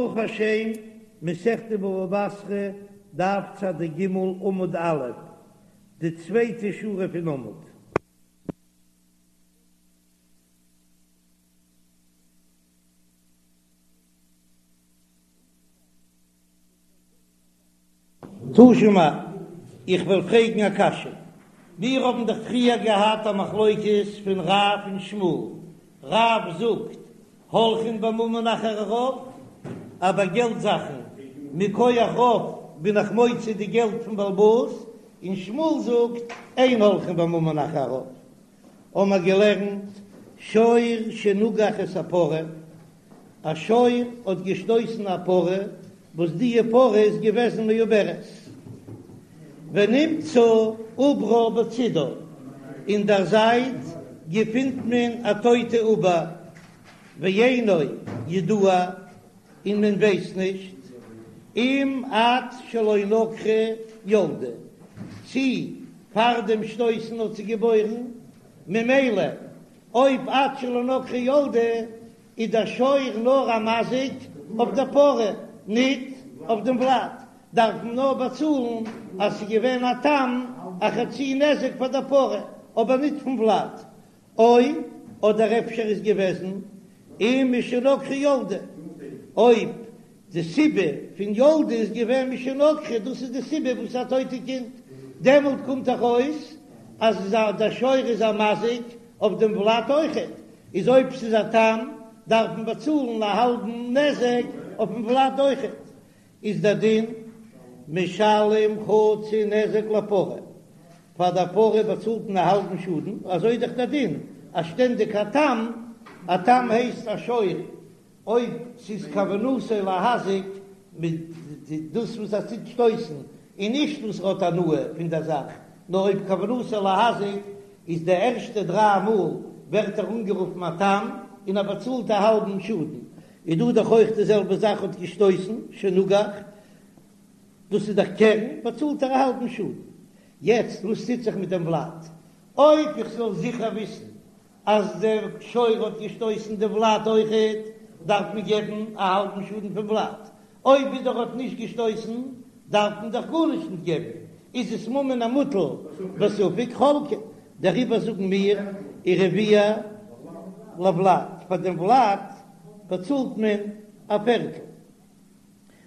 ברוך השם, מסכת בבא בתרא, דף צ"ג עמוד א', די צווייטע שורה פון עמוד. תא שמע, איך וועל פרעגן א קשיא. מיר האבן דאך פריער געהאט א מחלוקת פון רב און שמואל. רב זאגט, הולכין בממון אחר הרוב, אז ביי געלט זאכן מכח רוב בין איך מוציא די געלט פון בעל הבית, און שמואל זאגט, אין הולכין בממון אחר הרוב. האבן מיר געלערנט, שור שנגח את הפרה, א שור האט געשטויסן א פרה, וואס די פרה איז געוועזן מעוברת, ונמצא עוברה בצידה, אין דער זייט געפינט מען א טויטע עובר, ואינו ידוע, און מען ווייסט נישט, אם עד שלא נגחה ילדה, צי פאר דעם שטויסן האט זי געבוירן, ממילא אויב עד שלא נגחה ילדה איז דער שור נאר א מזיק אויף דער פרה, ניט אויף דעם ולד, דארף מען נאר באצאלן אז ס'איז געווען א תם א חצי נזק פאר דער פרה, אבער ניט פון ולד. או, אדער אפשר איז געוועזן אם משנגחה ילדה, אויב די סיבה פון ילדה איז געווען משנגחה, דאס איז די סיבה וואס א טויטע קינד, דעמאלט קומט דאך אויס אז דער שור איז א מזיק אויף דעם ולד אויכעט, איז אויב ס'איז א תם דארף מען באצאלן א האלבן נזק אויפן ולד אויכעט, איז דער דין משלם חצי נזק לפרה, פאר דער פרה באצאלט מען א האלבן שאדן, אזוי איז דאך דער דין אז שטענדיג א תם, א תם הייסט א שור אויב ס'איז כוונתו להזיק מיט דאס וואס ער טוט שטויסן, און נישט וואס ער האט הנאה פון דער זאך, נאר אויב כוונתו להזיק איז די ערשטע דריי מאל ווערט ער אנגערופן א תם און ער באצאלט א האלבן שאדן, איז דא דאך אויך די זעלבע זאך האט געשטויסן שנגח, דאס איז דאך קרן, באצאלט ער א האלבן שאדן. יעצט וואס טוט זיך מיט דעם ולד? אויב איך זאל זיכער וויסן אז דער שור האט געשטויסן די ולד אויכעט, דארף מען געבן א האלבן שאדן פון ולד, אויב ווידער האט נישט געשטויסן, דארף מען דאך גארנישט נישט געבן, איז עס ממון המוטל בספק חולקין, דעריבער זאגן מיר ורביע לולד, פאר דעם ולד באצאלט מען א פערטל.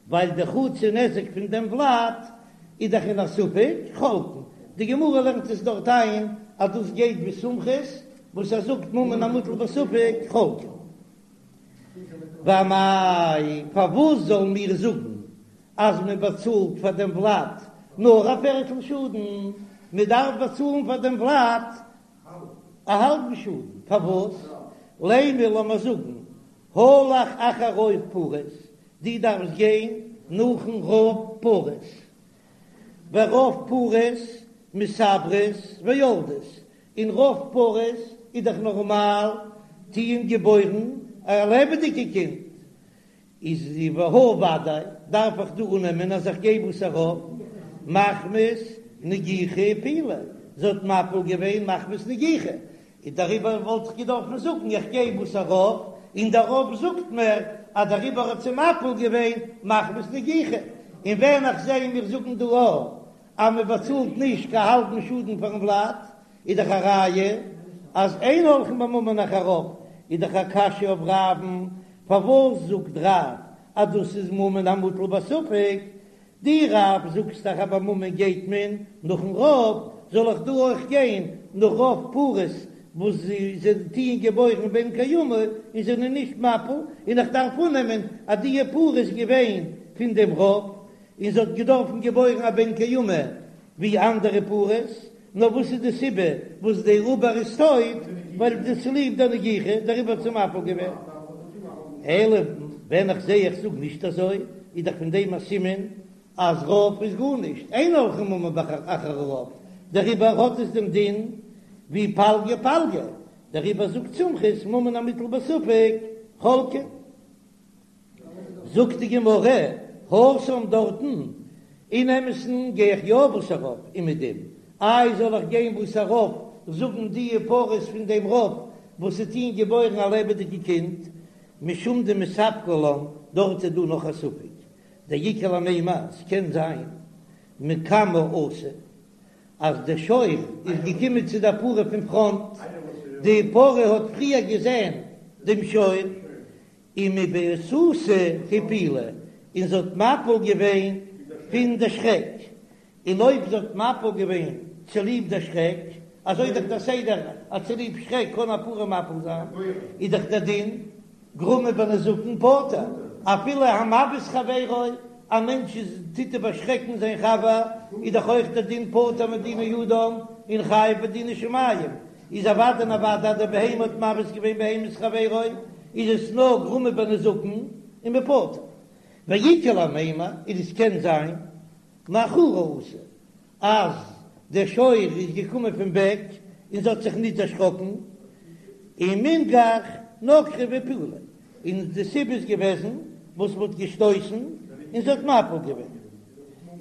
ווייל די חצי נזק פון דעם ולד איז דאך אין א ספק חולקין, די גמרא לערנט עס דארט איין אז דאס גייט ווי סומכוס וואס ער זאגט ממון המוטל בספק חולקין. ואמאי, פארוואס זאלן מיר זאגן אז מען באצאלט פאר דעם ולד נאר א פערטל שאדן, מען דארף באצאלן פאר דעם ולד א האלבן שאדן, פארוואס? לימא לאמיר זאגן הלך אחר רוב פרות, דו דארפסט גיין נאכן רוב פרות, ורוב פרות מתעברות ויולדות, און רוב פרות איז דאך נארמאל טוען געבוירן א לעבעדיגע קינד, איז והא ודאי דארף איך דא אננעמען אז איך גיי בתר רוב מחמת נגיחה הפילה, זי האט מפיל געווען מחמת נגיחה, און דעריבער וואלט איך געדארפן זאגן איך גיי בתר רוב, און דער רוב זאגט מיר אז דעריבער האט זי מפיל געווען מחמת נגיחה, און ווען איך זע מיר זאגן דא א אז מען באצאלט נישט קיין האלבן שאדן פארן ולד, איז דאך א ראיה אז אין הולכין בממון אחר רוב, איז דאך א קשיא אויף רב'ן, פארוואס זאגט רב אז דאס איז ממון המוטל בספק? דו רב זאגסט דאך אז ביי ממון גייט מען נאכן רוב, זאל איך דא אויך גיין נאך רוב פרות וואס זיי טוען געבוירן בן קיימא און זענען נישט מפיל, און איך דארף אננעמען אז די פרה איז געווען פון דעם רוב און זי האט געדארפן געבוירן א בן קיימא ווי אנדערע פרות, נאר וואס איז די סיבה וואס די עובר איז טויט? ווייל די צוליב די נגיחה דעריבער האט זי מפיל געווען. אלא ווען איך זע איך זאג נישט אזוי, איז דאך פון דעם א סימן אז רוב איז גארנישט, אין הולכין בממון אחר הרוב, דעריבער האט עס דעם דין ווי פלגא פלגא, דעריבער זאגט סומכוס ממון המוטל בספק חולקין. זאגט די גמרא, התם דארטן, אין אמת'ן גיי איך יא בתר רוב אומעדום, איי זאל איך גיין בתר רוב זאגן די פרות פון דעם רוב וואס ס'טוען געבוירן א לעבעדיגע קינד? משום דמספקא לן, דארט איז דא נאך א ספק, דאיכא למימר, ס'קען זיין מקמי אתא, אז דער שור איז געקומען צו דער פרה פון פראנט, די פרה האט פריער געזען דעם שור, ומבהתותא הפילה, און זי האט מפיל געווען פון די שרעק, און אויב זי האט מפיל געווען צוליב די שרעק, אזוי איז דאך דער סדר אז צוליב שרעק קען א פרה מפיל זיין, איז דאך דער דין גרמא בנזקין פטור, אפילו המבעית חברו, א מענטש איז טוט איבערשרעקן זיין חבר, איז דאך אויך דער דין פטור מדיני אדם און חייב בדיני שמים, איז אוודאי און אוודאי אז די בהמה האט מבעית געווען בהמת חברו, איז עס נאר גרמא בנזקין און מ'פטור. ואיכא למימר, און עס קען זיין מאחורי אתא אז דער שור איז געקומען פון בעק און זי האט זיך ניט דערשראקן, ומינגח נגחה והפילה, און די סיבה איז געוועזן וואס מ'האט געשטויסן און זי האט מפיל געווען.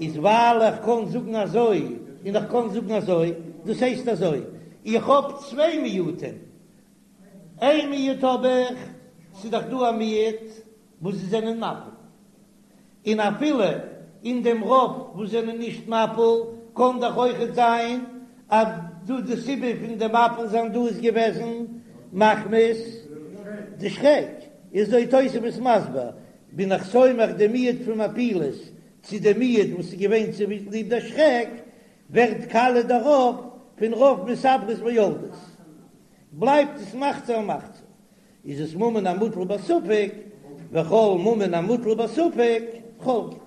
איז ווייל איך קען זאגן אזוי און איך קען זאגן אזוי, דאס הייסט אזוי, איך האב צוויי מיעוטים, איין מיעוט האב איך, ס'איז דאך דא א מיעוט וואס זיי זענען מפיל, און אפילו אין דעם רוב וואס זענען נישט מפיל, קען דאך אויכעט זיין אז דא די סיבה פון די מפיל זיין דא איז געוועזן מחמת די שרעק, איז אזוי תוספות מסביר, בין איך סומך די מיעוט פון מפילות צו די מיעוט וואס איז געווען צוליב די שרעק, ווערט קאליע דער רוב פון רוב מתעברות ויולדות, בלייבט עס מחצה על מחצה. איז עס ממון המוטל בספק, וכל ממון המוטל בספק חולקין,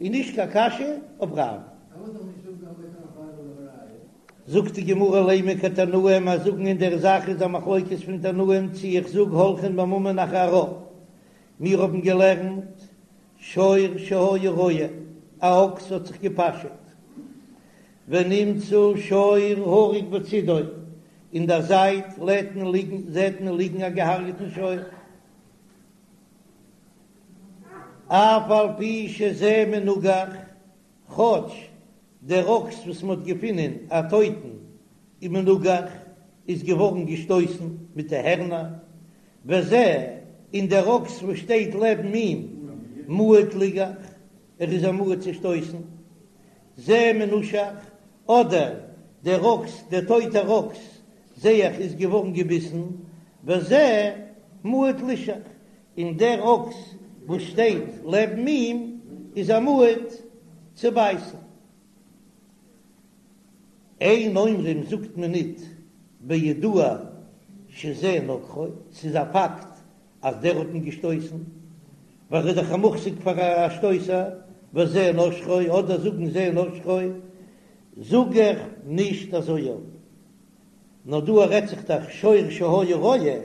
איז נישט קיין קשיא אויף רב. זאגט די גמרא לימא כתנאי אז זאגן אין דער זאך איז א מחלוקת פון תנאים צי איך זאג הולכין בממון אחר הרוב, מיר האבן געלערנט שור שהיה רועה, א אקס האט זיך געפאשעט, ונמצא שור הרוג בצידו, אין דער זייט לעט מען ליגן, זעט מען ליגן א געהארגעטן שור. אף על פי שזה מנוגח, כאטש דער אקס וואס מען האט געפונען א טויטן איז מנוגח, איז געווארן געשטויסן מיט די הערנער, וזה, און דער אקס וואס שטייט לעבן אים, מועד ליגח, ער איז א מועד צו שטויסן. זה מנושך, אדער דער אקס, דער טויטער אקס, זע איך איז געווארן געביסן, וזה מועד לישך, און דער אקס וואס שטייט לעבן אים איז א מועד צו בייסן. אין אומרים זאגט מען ניט בידוע שזה נגחו, ס'איז א פאקט אז דער האט אים געשטויסן, ווייל ער איז דאך א מוחזק פאר א שטויסער, וזה נשכו, אדער זאגן זה נשכו, זאג איך נישט אזוי יא. נאר דא רעדט זיך דאך שור שהיה רועה,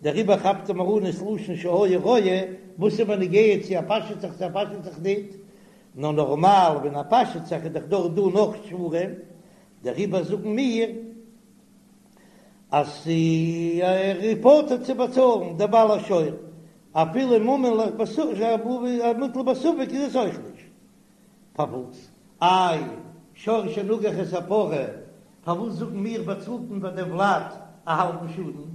דעריבער כאפט ער מיר אן עס לשון שהיה רועה, וואס איז מיר נוגע צו ער פאשעט זיך צו ער פאשעט זיך ניט, נאר נארמאל ווען ער פאשעט זיך איז דאך דארט דא נאך שוורים, דעריבער זאגן מיר אז ער איז פטור צו באצאלן דער בעל השור, אפילו ממון המוטל בספק איז עס אויך נישט. פארוואס? איי, שור שנגח את הפרה, פארוואס זאגן מיר באצאלט מען ביי דעם ולד א האלבן שאדן?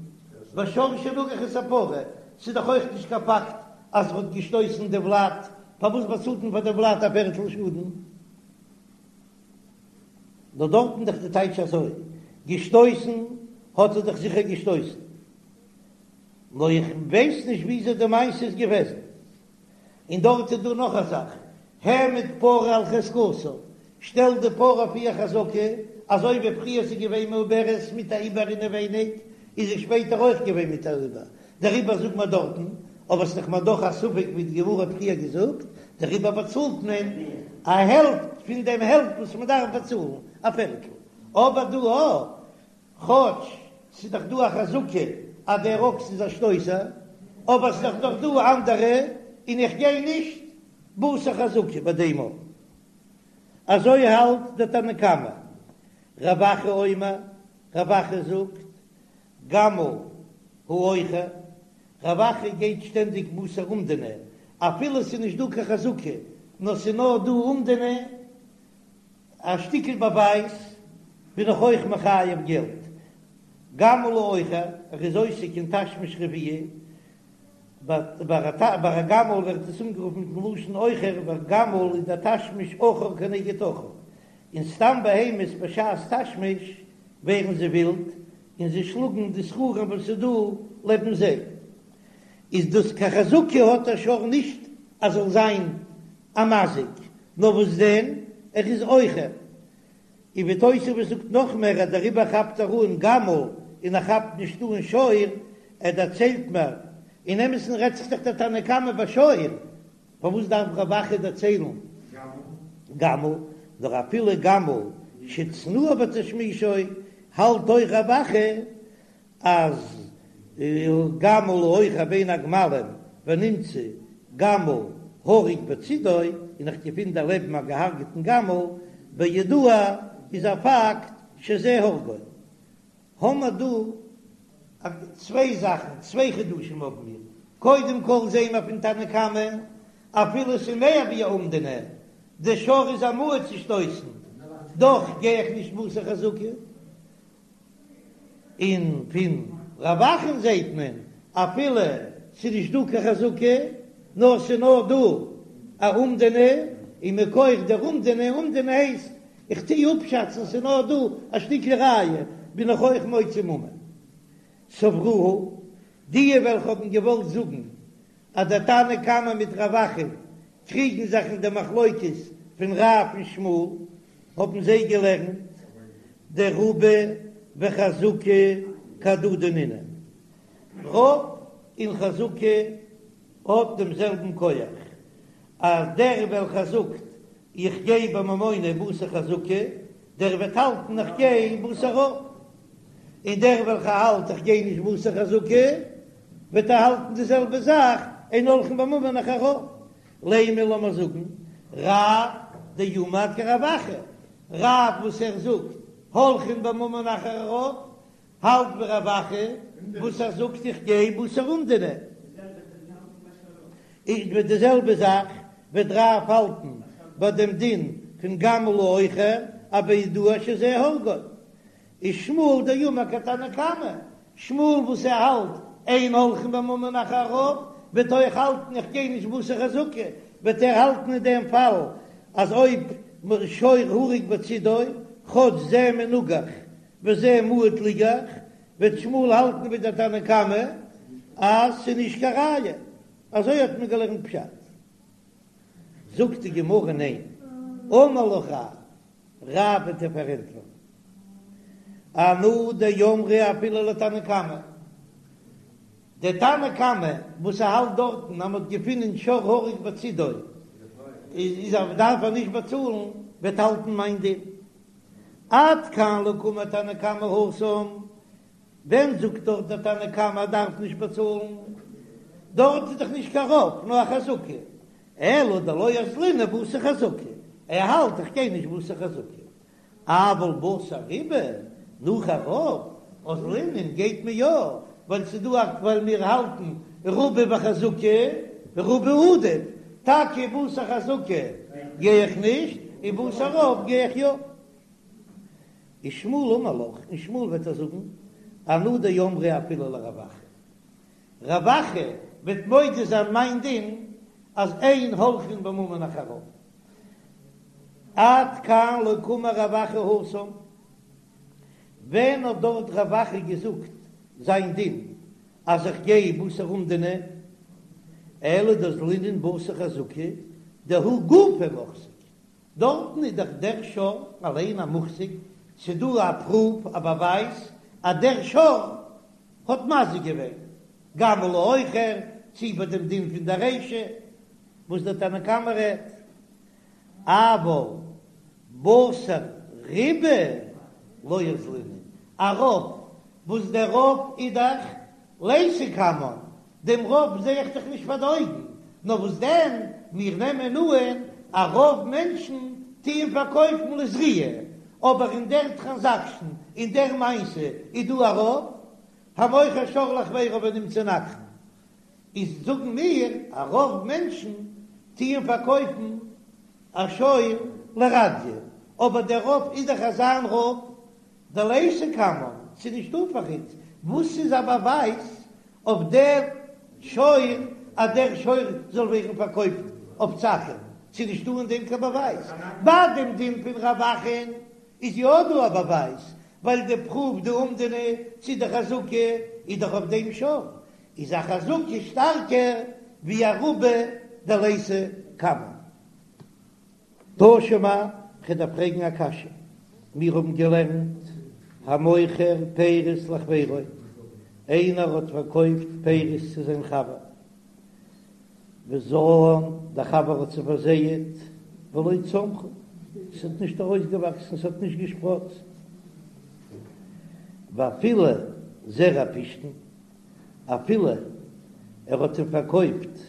ביי שור שנגח את הפרה, ס'איז דאך אויך נישט קיין פאקט אז ער האט געשטויסן די ולד, פארוואס באצאלט מען פאר דעם ולד א פערטל שאדן? נאר דארטן דאך די טייטש אזוי, געשטויסן האט ער דאך זיכער געשטויסן, נאר איך ווייס נישט וויאזוי די מעשה איז געוועזן. און דארט איז דא נאך א זאך, העמיד פרה על חזקתה, שטעל די פרה אויף איר חזקה, אזוי ווי פריער ס'איז געווען מעוברת מיט א עובר אינעווייניג, איז זי שפעטער אויך געווען מיט א עובר, דעריבער זאגט מען דארטן, אבער ס'איז דאך מיר דאך א ספק ווי די גמרא האט פריער געזאגט, דעריבער באצאלט מען א העלפט פון דעם העלפט וואס מען דארף באצאלן, א פערטל, אבער דא א, כאטש ס'איז דאך דא א חזקה אז דער אקס איז א שטויסער, אבער ס'איז דאך נאך דא אנדערע, און איך גיי נישט בתר חזקה ביי דעם אויך. אזוי האלט דער תנא קמא. רב אחא אומר, רב אחא זאגט, גמל העוכר, רב אחא גייט שטענדיג בתר אומדנא, אפילו ס'איז נישט דא קיין חזקה, נאר ס'איז נאר דא אומדנא, א שטיקל באווייז בין איך אויך מחייב געלט. גמל העוכר, ער איז עוסק אין תשמיש רביעי. ביי א גמל ווערט עס אנגערופן מיטן לשון עוכר, ווייל גמל איז דער תשמיש אחור כנגד אחור, און סתם בהמות בשעת תשמיש ווערן זיי ווילד און זיי שלאגן די זכרים וואס איז דא לעבן זיי, איז דאס קיין חזקה האט דער שור נישט אז זאל זיין א מזיק, נאר וואס דען ער איז עוכר. און ווי תוספות זאגט נאך מער אז דעריבער כאפט ער אן גמל און ער כאפט נישט אן שור, ער דערציילט מיר, אין אמת'ן רעדט זיך דאך דער תנא קמא ביי שור, פארוואס דארף רב אחא דערציילן גמל, נאר אפילו גמל שצנוע בתשמישו האלט אויך רב אחא אז גמל העוכר בין הגמלים ונמצא גמל הרוג בצידו, און איך געפין דערלעבן א געהארגעטן גמל, בידוע איז א פאקט שזה הרגו. האמער דא צוויי זאכן, צוויי חידושים האבן מיר, קודם כל זעהן מיר פון תנא קמא, אפילו ס'איז מער ווי א אומדנא, די שור איז א מועד צו שטויסן, דאך גיי איך נישט בתר חזקה. און פון רב אחא'ן זעהט מען אפילו ס'איז נישט דא קיין חזקה נאר ס'איז נאר דא א אומדנא, און מכח דער אומדנא, אומדנא הייסט איך טוה אפשאצן ס'איז נאר דא א שטיקל ראיה, בין איך אויך מוציא ממון. סברוה, די וועלכע האבן געוואלט זאגן אז דער תנא קמא מיט רב אחא קריגן זיך אין די מחלוקת פון רב און שמואל, האבן זיי געלערנט דרובא וחזקה כהדדי נינהו, רוב און חזקה האט דעם זעלבן כח, אז דער וועלכער זאגט איך גיי בממונא בתר חזקה, דער וועט האלטן איך גיי בתר רוב, און דער וועלכער האלט איך גיי נישט בתר חזקה, וועט ער האלטן די זעלבע זאך, אין הולכין בממון אחר רוב. לימא לאמיר זאגן רב דאמר כרב אחא, רב וואס ער זאגט הולכין בממון אחר רוב, האלט ווי רב אחא וואס ער זאגט איך גיי בתר אומדנא. איז מיט די זעלבע זאך וועט רב האלטן ביי דעם דין פון גמל העוכר אז בידוע שזה הרגו. איז שמואל דאמר כתנא קמא, שמואל וואס ער האלט אין הולכין בממון אחר רוב, וועט אויך האלטן איך גיי נישט בתר חזקה, וועט ער האלטן אין דעם פאל אז אויב שור הרוג בצידו, כאטש זה מנוגח וזה מועד ליגח, וועט שמואל האלטן ווי דער תנא קמא אז ס'איז נישט קיין ראיה, אזוי האט מען געלערנט פשט. זאגט די גמרא ניין, אמר לך רב, רב וועט דיר פארענטפערן, אנא דאמרי אפילו לתנא קמא, דער תנא קמא וואס ער האלט דארטן אז מ'האט געפונען שור הרוג בצידו איז ער דארף ער נישט באצאלן, וועט האלטן מיין דין. עד כאן לא קאמר תנא קמא התם, ווען זאגט דארט דער תנא קמא ער דארף נישט באצאלן? דארט איז דאך נישט קיין רוב נאר א חזקה, אלא דלא אזלינן בתר חזקה, ער האלט איך גיי נישט בתר חזקה, אבל בתר רובא, נאך א רוב, אזלינן גייט מען יא, ווייל ס'איז דא א ווייל מיר האלטן רובא וחזקה, רובא עדיף, טאקע בתר חזקה גיי איך נישט, און בתר רוב גיי איך יא. ושמואל אמר לך, און שמואל וועט דיר זאגן, אנא דאמרי אפילו לרב אחא. רב אחא וועט מודה זיין מיין דין אז אין הולכין בממון אחר רוב. עד כאן לא קאמר רב אחא התם, ווען האט דארט רב אחא געזאגט זיין דין אז איך גיי בתר אומדנא, אלא דאזלינן בתר חזקה דהוא גופיה מוחזק, דארטן איז דאך דער שור אליין א מוחזק, ס'דא א פרוף א באווייז אז דער שור האט מזיק געווען, גמל העוכר, צי ביי דעם דין פון דער רישא וואס דער תנא קמא רעדט, אבל בתר רובא לא אזלינן, א רוב וואס דער רוב איז דאך ליתא קמן, דעם רוב זע איך דאך נישט פאר די אויגן, נאר וואס דען, מיר נעמען אן אז רוב מענטשן טוען פארקויפן לזריעה, אבער אין דער טראנזאקשן, אין דער מעשה, איז דא א רוב, המוכר שור לחבירו ונמצא נגחן, איז זאגן מיר אז רוב מענטשן טוען פארקויפן א שור לרדיא, אבער דער רוב איז דאך אזא רוב דליתא קמן, ס'איז נישטא פאר אונז, וואס איז א באווייז אויף דער. שור אז דער שור זאל ווערן פארקויפט אויף צו אקערן, ס'איז נישטא אין דעם קיין באווייז. ביי דעם דין פון רב אחא'ן איז יא דא א באווייז, ווייל די פרוף די אומדנא צו די חזקה איז דאך אויף דעם שור, איז א חזקה שטארקער ווי א רובא דליתא קמיה. תא שמע, כ'דארף פרעגן א קשיא, מיר האבן געלערנט המוכר פירות לחבירו, איינער האט פארקויפט פירות צו זיין חבר, וזרען, דער חבר האט זיי פארזייעט, ולא צמחו, ס'האט נישט ארויסגעוואקסן, ס'האט נישט געשפראצט, ואפילו זרע פשתן, אפילו ער האט אים פארקויפט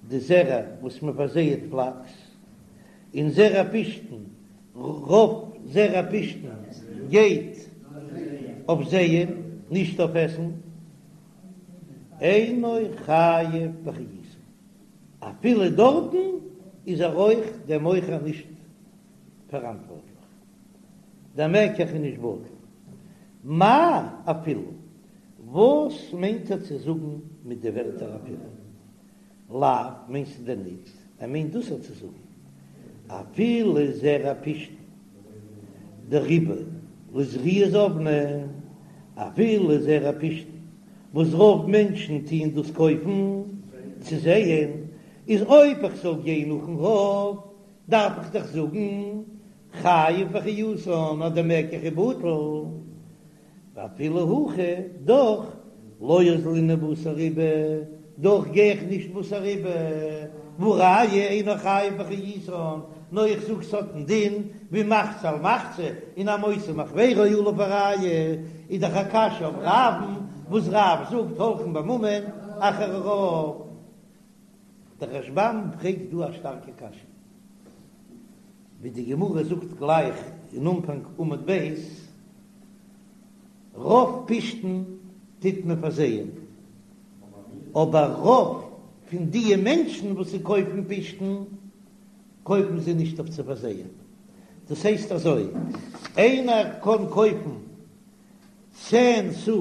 די זרע וואס מען פארזייעט פלאקס, און זרע פשתן, רוב זרע פשתן גייט אויף זייען, נישט אויף עסן, אינו חייב באחריותן, אפילו דארטן איז ער אויך דער מוכר נישט פאראנטווארטליך, דער מקח איז נישט בטל. מאי אפילו? וואס מיינט ער צו זאגן מיט די ווערטער אפילו? לאו מיינסטו דען ניט? ער מיינט דאס צו זאגן אפילו זרע פשתן דרובא לזריעה זבני, אפילו זרע פשתן וואס רוב מענטשן טוען דאס קויפן צו זייען, איז אויב איך זאל גיין נאכן רוב דארף איך דאך זאגן חייב באחריותן אז דער מקח איז בטל. ואפילו הכי, דאך, לא אזלינן בתר רובא, דאך גיי איך נישט בתר רובא, והא ראיה אינו חייב באחריותן, נאר איך זאג ס'האט א דין ווי מחצה על מחצה, און המוציא מחבירו עליו הראיה, איז דאך א קשיא אויף רב'ן, וואס רב זאגט הולכין בממון אחר הרוב. דער רשב"ם פרעגט דא א שטארקע קשיא, ווי די גמרא זאגט גלייך אין אנפאנג עמוד ב', רוב פשתן טוט מען פארזייען, אבער רוב פון דיע מענטשן וואס זיי קויפן פשתן, קויפן זיי נישט אויף צו פארזייען. דאס הייסט אזוי, איינער קען קויפן צען סאה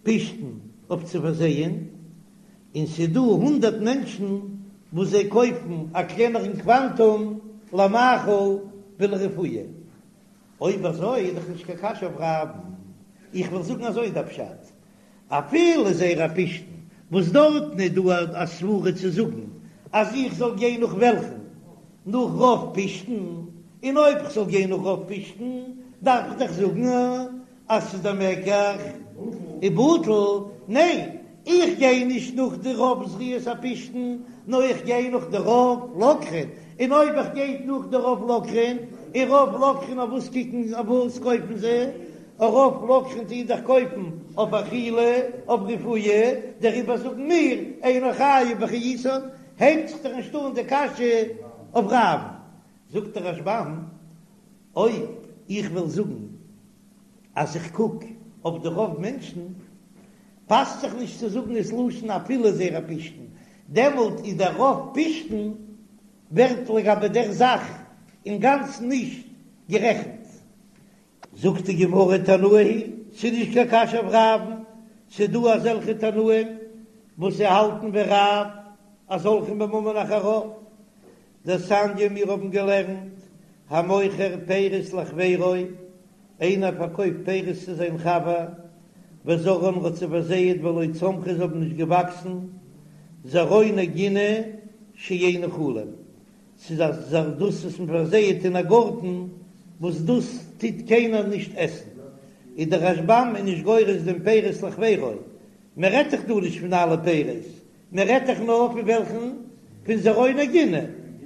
פשתן אויף צו פארזייען, און ס'איז דא הונדערט מענטשן וואס זיי קויפן א קלענערן קוואנטום למאכל ולרפואה. אויב אזוי איז דאך נישט קיין קשיא אויף רב'ן. איך וועל זאגן אזוי איז דער פשט, אפילו זרע פשתן וואס דארטן איז דא א סברה צו זאגן אז איך זאל גיין נאך וועלכן? נאך רוב פשתן, און אויב כ'זאל גיין נאך רוב פשתן דארף איך דאך זאגן אז ס'איז דער מקח איז בטל, ניין, איך גיי נישט נאך די רוב זריעת הפשתן, נאר איך גיי נאך די רוב לוקחין, און אויב איך גיי נאך די רוב לוקחין, און רוב לוקחין אויף וואס קוקן אויף וואס קויפן זיי? רוב לוקחין טוען דאך קויפן אויף אכילה, אויף רפואה, דעריבער זאגן מיר אינו חייב באחריותן, הייבט זיך דאך נישט אן די קשיא אויף רב, זאגט דער רשב"ם, אויב איך וועל זאגן אז איך קוק אויף די רוב מענטשן, פאסט זיך נישט צו זאגן עס לשון אפילו זרע פשתן, דעמאלט איז דער רוב פשתן ווערט לגבי דער זאך אינגאנצן נישט גערעכנט. זאגט די גמרא תנאי היא, ס'איז נישט קיין קשיא אויף רב'ן, ס'איז דא אזעלכע תנאים וואס זיי האלטן ווי רב אז הולכין בממון אחר הרוב, דתניא מיר האבן געלערנט המוכר פירות לחבירו, איינער פארקויפט פירות צו זיין חבר, וזרען האט זיי פארזייעט ולא צמחו זיי האבן נישט געוואקסן, זרעוני גינה שאין אוכלים, ס'איז א זאך דאס וואס מען פארזייעט אין א גארטן וואס דאס טוט קיינער נישט עסן, איז דער רשב"ם איז נישט גורס דעם פירות לחבירו, מען רעדט דאך דא נישט פון אלע פירות, מען רעדט דאך נאר פון וועלכן? פון זרעוני גינה,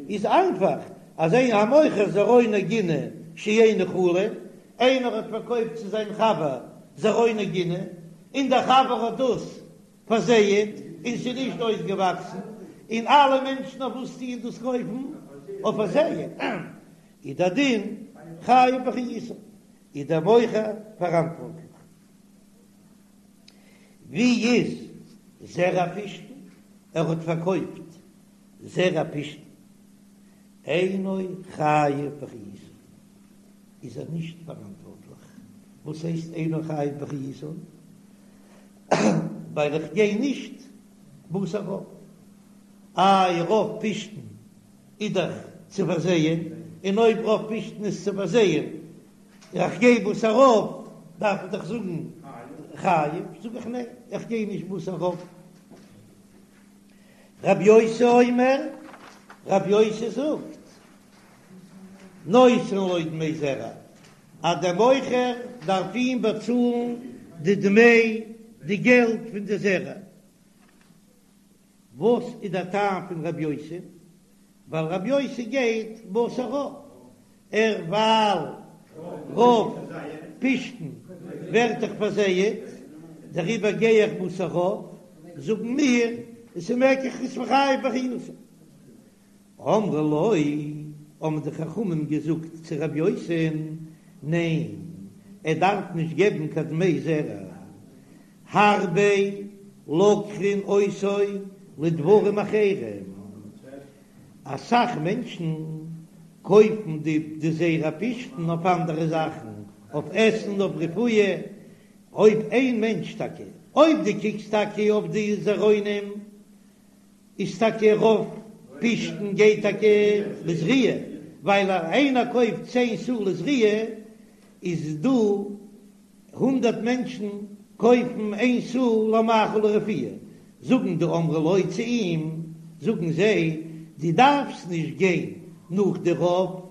איז איינפאך אז איין המוכר זרעוני גינה שאין אוכלים, איינער האט פארקויפט צו זיין חבר זרעוני גינה, און דער חבר האט דאס פארזייעט און ס'איז נישט אויסגעוואקסן, און אלע מענטשן אויף וואס טוען דאס קויפן? אויף פארזייען, איז דער דין חייב באחריותן, איז דער מוכר פאראנטווארטליך. ווי איז זרע פשתן? ער האט פארקויפט זרע פשתן, אינו חייב באחריותן, איז ער נישט פאראנטווארטליך. וואס הייסט אינו חייב באחריותן? ווייל איך גיי נישט בתר. בתר רוב. איי רוב פשתן איז דאך צו פארזייען, און אויב רוב פשתן איז צו פארזייען, איך גיי בתר רוב, דארף איך דאך זאגן חייב, זאג איך ניין, איך גיי נישט בתר רוב. רבי יוסי אומר, רבי יוסי זאגט, נותן לו דמי זרע, אז דער מוכר דארף אים באצאלן די דמי, די געלט פון די זרע. וואס איז דער טעם פון רבי יוסי? ווייל רבי יוסי גייט בתר רוב, ער ווייל רוב פשתן ווערט דאך פארזייעט, דעריבער גיי איך בתר רוב, זאגן מיר עס איז מקח איז חייב באחריותו. אמרו לו, האבן די חכמים געזאגט צו רבי יוסי'ן, ניין, ער דארף נישט געבן קיין דמי זרע, הרבה לוקחין אותו לדברים אחרים, אסאך מענטשן קויפן די זרע פשתן אויף אנדערע זאכן, אויף עסן, אויף רפואה, אויב איין מענטש טאקע, אויב דו קוקסט טאקע אויף די זרעונים, איז טאקע רוב פשתן גייט טאקע לזריעה, ווייל אז איינער קויפט צען סאה לזריעה איז דא הונדרעט מענטשן קויפן איין סאה למאכל ולרפואה, זאגן די אמרו לו צו אים, זאגן זיי, דו דארפסט נישט גיין נאך די רוב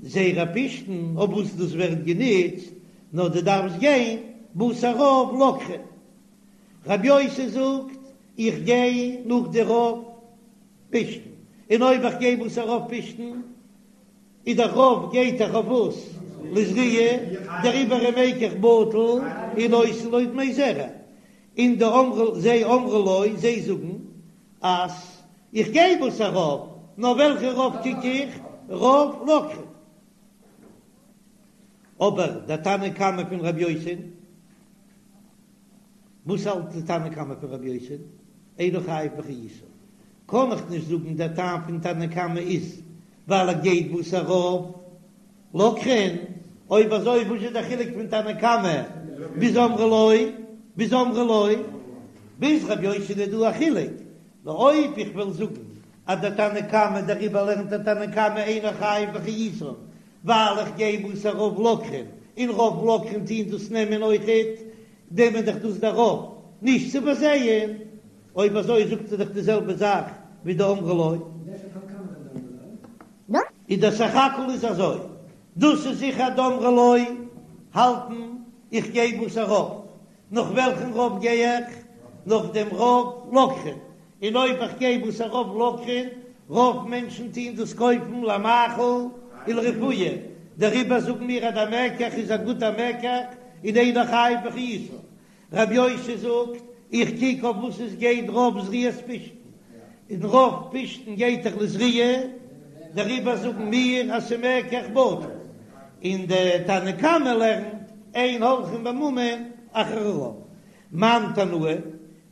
זרע פשתן אויף וואס דאס ווערט גענוצט, נאר דו דארפסט גיין בתר רוב לוקחין. רבי יוסי זאגט, איך גיי נאך די רוב פשתן, און אויב איך גיי בתר רוב פשתן, איז דער רוב גייט דאך אויף וואס? לזריעה, דעריבער איז מקח בטל און נותן לו דמי זרע, און די אמרו זיי אמרו לו זיי זאגן אז איך גיי בתר רוב, נאר וועלכע רוב קוק איך? רוב לוקחין. אבער דער תנא קמא פון רבי יוסי. וואס האלט די תנא קמא פון רבי יוסי? אינו חייב באחריותן. קען איך נישט זאגן דער טעם פון תנא קמא איז ווייל ער גייט בתר רוב לוקחין, אויב אזוי וואס איז דער חילוק פון תנא קמא ביז אמרו לו ביז אמרו לו ביז רבי יוסי איז דא א חילוק, נאר אויב איך וועל זאגן אז דער תנא קמא דעריבער לערנט דער תנא קמא אינו חייב באחריותן ווייל איך גיי בתר רוב לוקחין און רוב לוקחין טוהן דאס נעמען אויכעט נעמען דאך דאס דער רוב נישט צו פארזייען, אויב אזוי זאגט ער דאך די זעלבע זאך ווי די אמרו לו. איז דער סך הכל איז אזוי, דאס איז זיכער די אמרו לו האלטן איך גיי בתר רוב, נאך וועלכן רוב גיי איך? נאך דעם רוב לוקחין, און אויב איך גיי בתר רוב לוקחין, רוב מענטשן טוהן דאס קויפן למאכל ולרפואה, דעריבער זאגן מיר אז דער מקח איז א גוטער מקח און אינו חייב באחריותן. רבי יוסי זאגט, איך קוק אויף וואס עס גייט רוב זריעת פשתן, און רוב פשתן גייט דאך לזריעה, דעריבער זאגן מיר אז ס'מקח בטל, און די תנא קמא לערנט אין הולכין בממון אחר הרוב. מאן תנאי,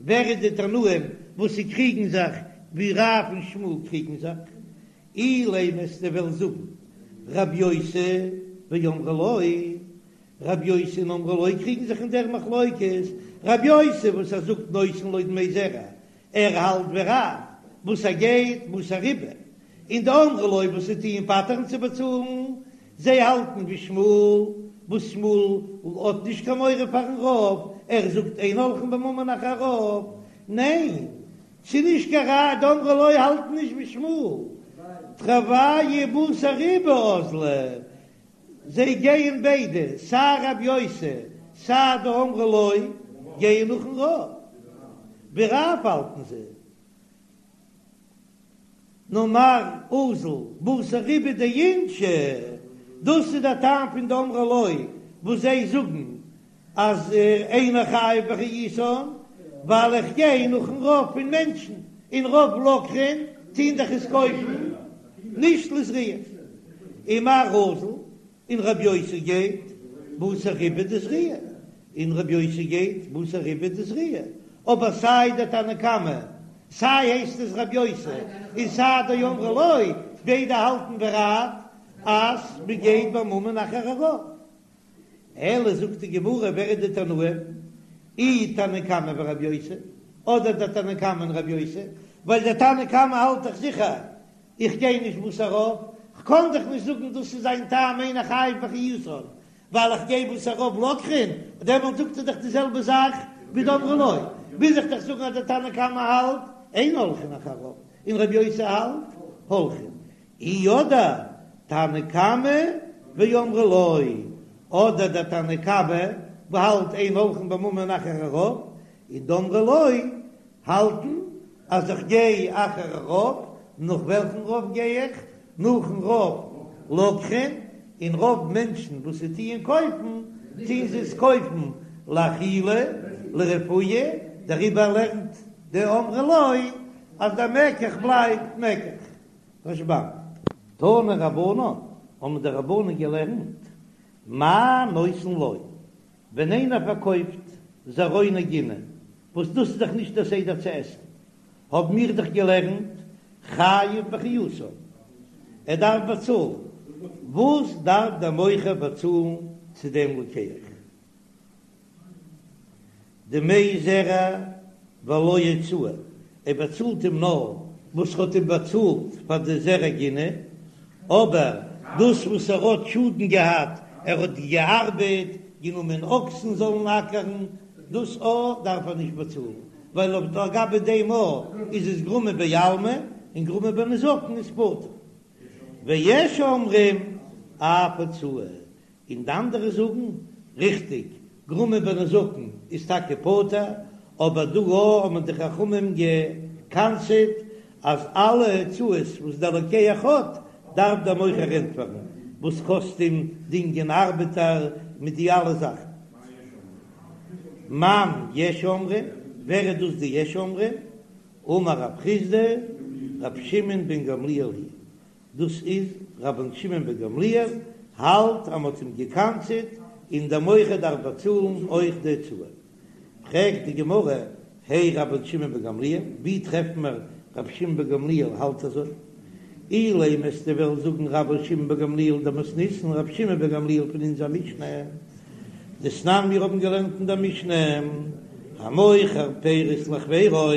ווער איז די תנאים וואס זיי קריגן זיך ווי רב און שמואל קריגן זיך? אילימא וועסטו וועלן זאגן רב יוסי ואמרי לו, רב יוסי און אמרי לו קריגן זיך אין דער מחלוקת, רב יוסי וואס ער זאגט נותן לו דמי זרע, ער האלט ווי רב וואס ער גייט בתר רובא, און די אמרי לו וואס זיי טוען פטר'ן צו באצאלן, זיי האלטן ווי שמואל, וואס שמואל האט נישט קיין מורא פארן רוב, ער זאגט אין הולכין בממון אחר הרוב, ניין, ס'איז נישט קיין ראיה, די אמרי לו האלטן נישט ווי שמואל, תרוייהו בתר רובא אזלי, זיי גייען ביידע, סיי רב יוסי סיי די אמרי לו גייען נאכן רוב, ווי רב האלטן זיי. נאר מר אזיל בתר רובא דאינשי, דאס איז דער טעם פון די אמרי לו וואס זיי זאגן אז אינו חייב באחריותן, ווייל איך גיי נאכן רוב פון מענטשן, און רוב לוקחין טוהן דאך עס קויפן נישט לזריעה, ומר אזיל און רב יוסי גייט בתר רובא דזריעה, און רב יוסי גייט בתר רובא דזריעה, אבער סיי דער תנא קמא, סיי הייסט עס רב יוסי, און סיי די אמרי לו, ביידע האלטן ווי רב אז מ'גייט בממון אחר הרוב. אלא זאגט די גמרא ווער איז די תנאים? אי תנא קמא ורב יוסי, אדער דער תנא קמא און רבי יוסי, ווייל דער תנא קמא האלט דאך זיכער איך גיי נישט בתר רוב, כ'קען דאך נישט זאגן דאס איז זיין טעם אינו חייב באחריותן, ווייל איך גיי בתר רוב לוקחין, דעמאלט זאגט ער דאך די זעלבע זאך ווי דאמרי לו, מוז איך דאך זאגן אז דער תנא קמא האלט אין הולכין אחר רוב, און רבי יוסי האלט הולכין, אי אדער תנא קמא ואמרי לו, אדער דער תנא קמא האלט אין הולכין בממון אחר הרוב, און דאמרי לו האלטן אז איך גיי אחר הרוב, נאך וועלכן רוב גיי איך? נאכן רוב לוקחין, און רוב מענטשן וואס זיי טוען קויפן, טוען זיי עס קויפן לאכילה, לרפואה, דעריבער לערנט די אמרי לו אז דער מקח בלייבט מקח. רשב"ם. תנו רבנן, האבן די רבנן געלערנט, מה נותן לו, ווען איינער פארקויפט זרעוני גינה, וואס דאס איז דאך נישט דער סדר צו עסן, האבן מיר דאך געלערנט חייב באחריותן, ער דארף באצאלן, וואס דארף דער מוכר באצאלן צו דעם לוקח? דמי זרע ולא הוצאה, ער באצאלט אים נאר וואס ער האט אים באצאלט פאר די זרע גינה, אבער דאס וואס ער האט שאדן געהאט, ער האט געארבעט, גענומען אקסן זאלן אקערן, דאס א דארף ער נישט באצאלן, ווייל אויף לגבי דעם א איז עס גרמא בעלמא, און גרמא בנזקין איז פטור. ויש אומרים אף הוצאה, און די אנדערע זאגן, ריכטיג, גרמא בנזקין איז טאקע פטור, אבער דא האבן די חכמים גע'קנס'עט אז אלע הוצאות וואס דער לוקח האט, דארף דער מוכר ענטפערן, וואס קאסט אים דינגען ארבעטער מיט די אלע זאכן. מאן יש אומרים, ווער איז דאס די יש אומרים? אמר רב חסדא, רבי שמעון בן גמליאל היא דאס איז רבן שמעון בן גמליאל האלט אז מ'האט אים געקנס'עט און דער מוכר דארף באצאלן אויך די הוצאה. פרעגט די גמרא, הי רבן שמעון בן גמליאל, ווי טרעפן מיר רבי שמעון בן גמליאל האלט אזוי? אילימא וועסטו וועלן זאגן רבן שמעון בן גמליאל דמתניתין רבי שמעון בן גמליאל פון אונזער משנה דתנן מיר האבן געלערנט אין דער משנה המוכר פירות לחבירו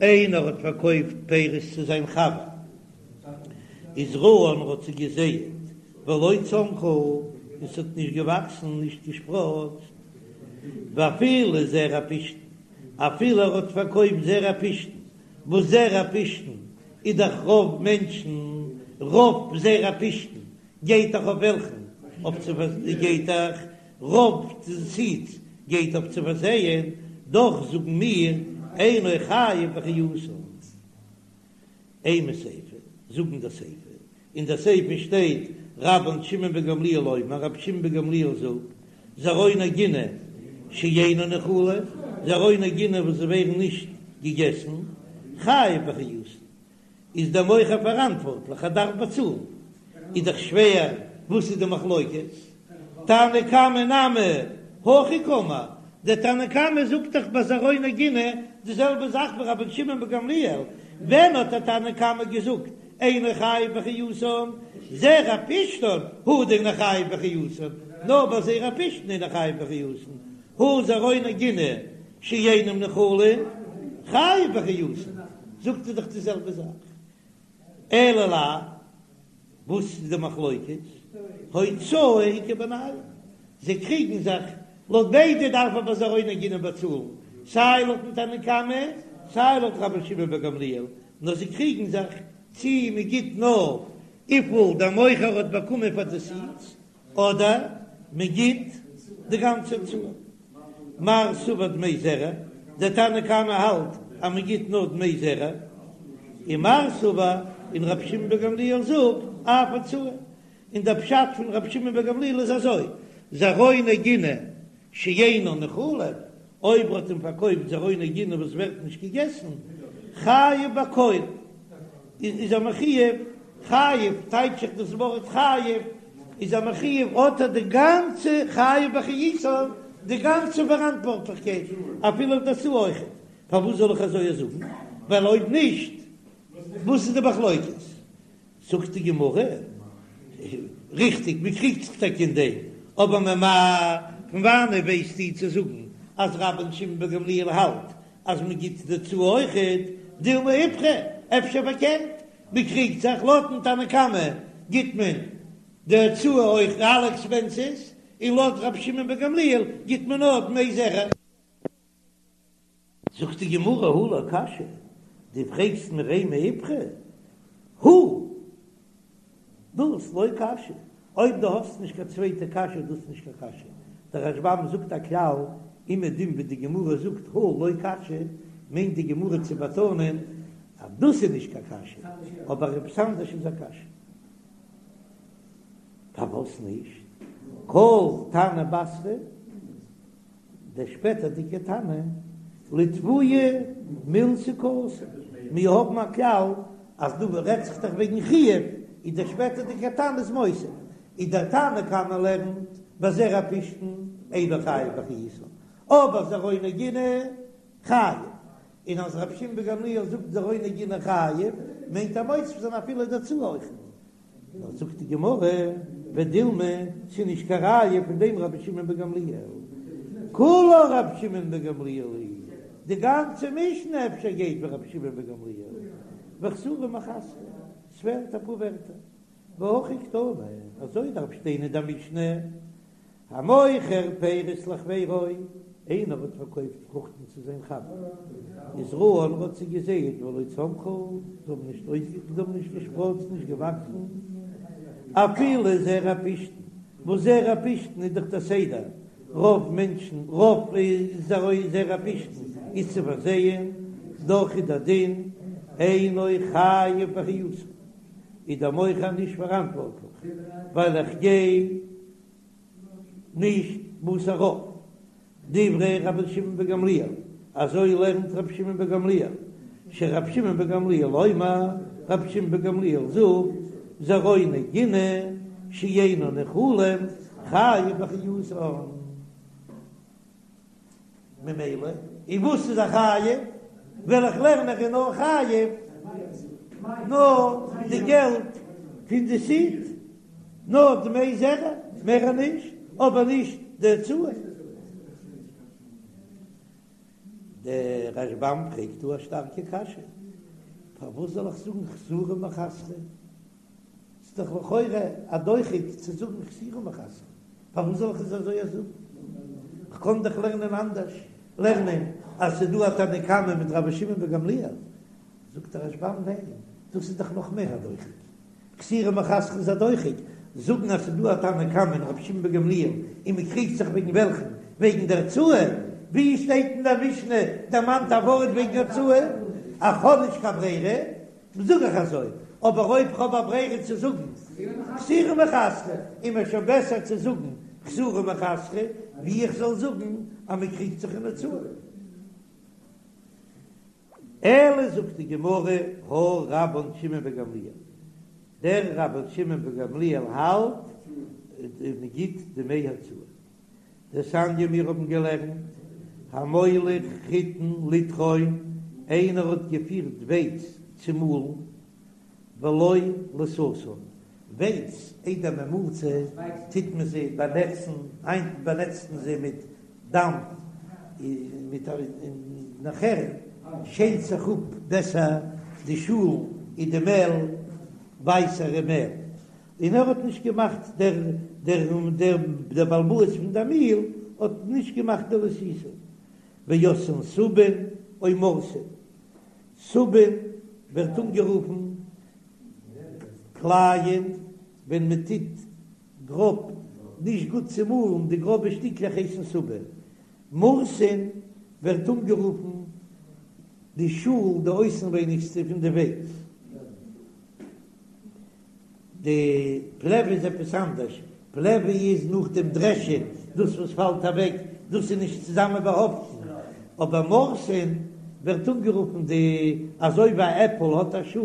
איינער האט פארקויפט פירות צו זיין חבר וזרען האט זיי געזייט ולא צמחו און ס'האט נישט געוואקסן נישט געשפראצט ואפילו זרע פשתן אפילו ער האט פארקויפט זרע פשתן וואס זרע פשתן איז דאך רוב מענטשן רוב זרע פשתן גייט דאך אויף וועלכן אויף צו גייט דאך רוב סידס גייט אויף צו פארזייען דאך זאגן מיר אינו חייב באחריותן. אימא סיפא, זאג אין דער סיפא, אין דער סיפא שטייט רבן שמעון בן גמליאל אומר, רבי שמעון בן גמליאל זאגט, זרעוני גינה שאינן נאכלין, זרעוני גינה וואס זיי ווערן נישט געגעסן, חייב באחריותן, איז דער מוכר פאראנטווארטליך, ער דארף באצאלן, איז דאך שווער, וואס איז די מחלוקת? תנא קמא נמי הכי קאמר, דער תנא קמא זאגט דאך ביי זרעוני גינה די זעלבע זאך ווי רבן שמעון בן גמליאל, ווען האט דער תנא קמא געזאגט אינו חייב באחריותן, זרע פשתן הוא דאינו חייב באחריותן, נאר ביי זרע פשתן אינו חייב באחריותן, הא זרעוני גינה שאינם נאכלין חייב באחריותן, זאגט ער דאך די זעלבע זאך, אלא לאו. וואס איז די מחלוקת? הוצאה איכא בינייהו, זיי קריגן זיך, לויט ביידע דארף ער ביי זרעוני גינה באצאלן, סיי לויטן תנא קמא סיי לויט רבן שמעון בן גמליאל, נאר זיי קריגן זיך צי מען גיט נאר וויפיל דער מוכר האט באקומען פאר די סידס, אדער מען גיט די גאנצע הוצאה. מר סבר דמי זרע, דער תנא קמא האלט אז מען גיט נאר דמי זרע, און מר סבר און רבי שמעון בן גמליאל זאגט אף הוצאה, און דער פשט פון רבי שמעון בן גמליאל איז אזוי, זרעוני גינה שאינן נאכלין, אויב האט אים פארקויפט זרעוני גינה וואס ווערט נישט געגעסן, חייב בכל, איז ער מחויב, חייב טייטש איך דאס ווארט חייב, איז ער מחויב האט ער די גאנצע חייב באחריותן, די גאנצע פאראנטווארטליכקייט, אפילו אויף די הוצאה אויכעט, פארוואס זאל איך אזוי זאגן? ווייל אויב נישט וואס איז די מחלוקת? זאגט די גמרא, ריכטיג, מען קריגט זיך טאקע אין דעם, אבער ממאי, פון וואנעט ווייסטו צו זאגן אז רבן שמעון בן גמליאל האלט. אז מען גיט די הוצאה אויכעט, דילמא איפכא, אפשר פארקערט, מען קריגט זיך, לויטן תנא קמא גיט מען די הוצאה אויך אלע עקספענסעס, און לויט רבי שמעון בן גמליאל גיט מען נאר דמי זרע. זאגט די גמרא הא לא קשיא, דו פרעגסט מיר אימא איפכא, הא דאס לא קשיא, אויב דו האסט נישט קיין צווייטע קשיא איז דאס נישט קיין קשיא, דער רשב"ם זאגט א כלל, אומעדום ווי די גמרא זאגט הא לא קשיא, מיינט די גמרא צו באטאנען אז דאס איז נישט קיין קשיא, אבער עפעס אנדערש איז א קשיא. פארוואס נישט כל תנא בתרא? דער שפעטערדיגער תנא, לתבויי מילתא קאתי, מיר האבן א כלל אז דא רעדט זיך דאך וועגן חיוב, איז דער שפעטערדיגער תנא איז מוסיף, איז דער תנא קמא לערנט בזרע פשתן אינו חייב באחריותן, אבער זרעו נגינה חייב, און אז רבי שמעון בן גמליאל זאגט זרעו נגינה חייב, מיינט ער מוסיף זיין אפילו די הוצאה אויכעט. נאר זאגט די גמרא, ודילמא, ס'איז נישט קיין ראיה פון דעם רבי שמעון בן גמליאל, כולה רבי שמעון בן גמליאל היא, די גאנצע משנה אפשר גייט ווי רבי שמעון בן גמליאל, וחסורי מיחסרא, ס'פעלט אפאר ווערטער, והכי קתני, אזוי דארף שטיין אין די משנה, המוכר פירות לחבירו, איינער האט פארקויפט פרוכטן צו זיין חבר, וזרען, ער האט זיי געזייט ולא צמחו, זיי האבן נישט אויסגע זיי האבן נישט געשפראצט, נישט געוואקסן, אפילו זרע פשתן, וואס זרע פשתן איז דאך דער סדר, רוב מענטשן, רוב זרע פשתן איז צו פארזייען, דאך איז דער דין, אינו חייב באחריותן, איז דער מוכר נישט פאראנטווארטליך, ווייל איך גיי. נישט בתר רוב. דברי רבי שמעון בן גמליאל, אזוי לערנט רבי שמעון בן גמליאל, שרבי שמעון בן גמליאל אומר, רבי שמעון בן גמליאל זאגט, זרעו נגינה שאינן נאכלים חייב באחריותן. ממילא, און וואס איז ער חייב? וועל איך לערנען ער איז נאר חייב נאר די געלט פון די סיד, נאר דמי זרע, מער נישט, אבער נישט די הוצאה. דער רשב"ם פרעגט דא א שטארקע קשיא, פארוואס זאל איך זאגן חסורי מחסרא? ס'איז דאך לכאורה א דוחק צו זאגן חסורי מחסרא, פארוואס זאל איך עס אזוי זאגן? כ'קען דאך לערנען אנדערש, לערנען אז ס'איז דא א תנא קמא מיט רבי שמעון בן גמליאל. זאגט דער רשב"ם ניין, דאס איז דאך נאך מער א דוחק, חסורי מחסרא איז א דוחק, זאגן אז ס'איז דא א תנא קמא און רבי שמעון בן גמליאל און מ'קריגט זיך וועגן וועלכן? וועגן דער הוצאה? ווי שטייט אין דער משנה דערמאנט א ווארט וועגן הוצאה? אז כ'האב נישט קיין ברירה זאג איך אזוי, אבער אויב כ'האב א ברירה צו זאגן חסורי מחסרא, איז מיר שוין בעסער צו זאגן חסורי מחסרא, ווי איך זאל זאגן אז מען קריגט זיך אין הוצאה. אלא זאגט די גמרא, הא רבן שמעון בן גמליאל, דער רבן שמעון בן גמליאל האלט מען גיט דמי הוצאה. דתניא מיר האבן געלערנט, המוליך חיטין לטחון, איינער האט געפירט ווייץ צו מאלן, ולא לתתן, ווייץ איידער מען מאלט זיי טוט מען זיי באנעצן, היינט באנעצט מען זיי מיט דאמף, מיט און נאכער שעלט זיך אפ בעסער די שאל און די מעל, ווייסערע מעל. און ער האט נישט געמאכט דער דער דער דער בעל הבית פון דער מיל האט נישט געמאכט די לתיתה ועשאן סובין או מורסין, סובין ווערט אנגערופן קלייען ווען מען טוט גראב נישט גוט צומאלן די גראבע שטיקלעך הייסן סובין, מורסין ווערט אנגערופן די שאל די אויסנווייניגסטע פון די ווייץ. די פלעווע איז עפעס אנדערש, פלעווע איז נאך דעם דרעשען, דאס וואס פאלט אוועק, דאס איז נישט צוזאמען באהאפטן, אבער מורסין ווערט אנגערופן די, אזוי ווי א עפל האט א שאל,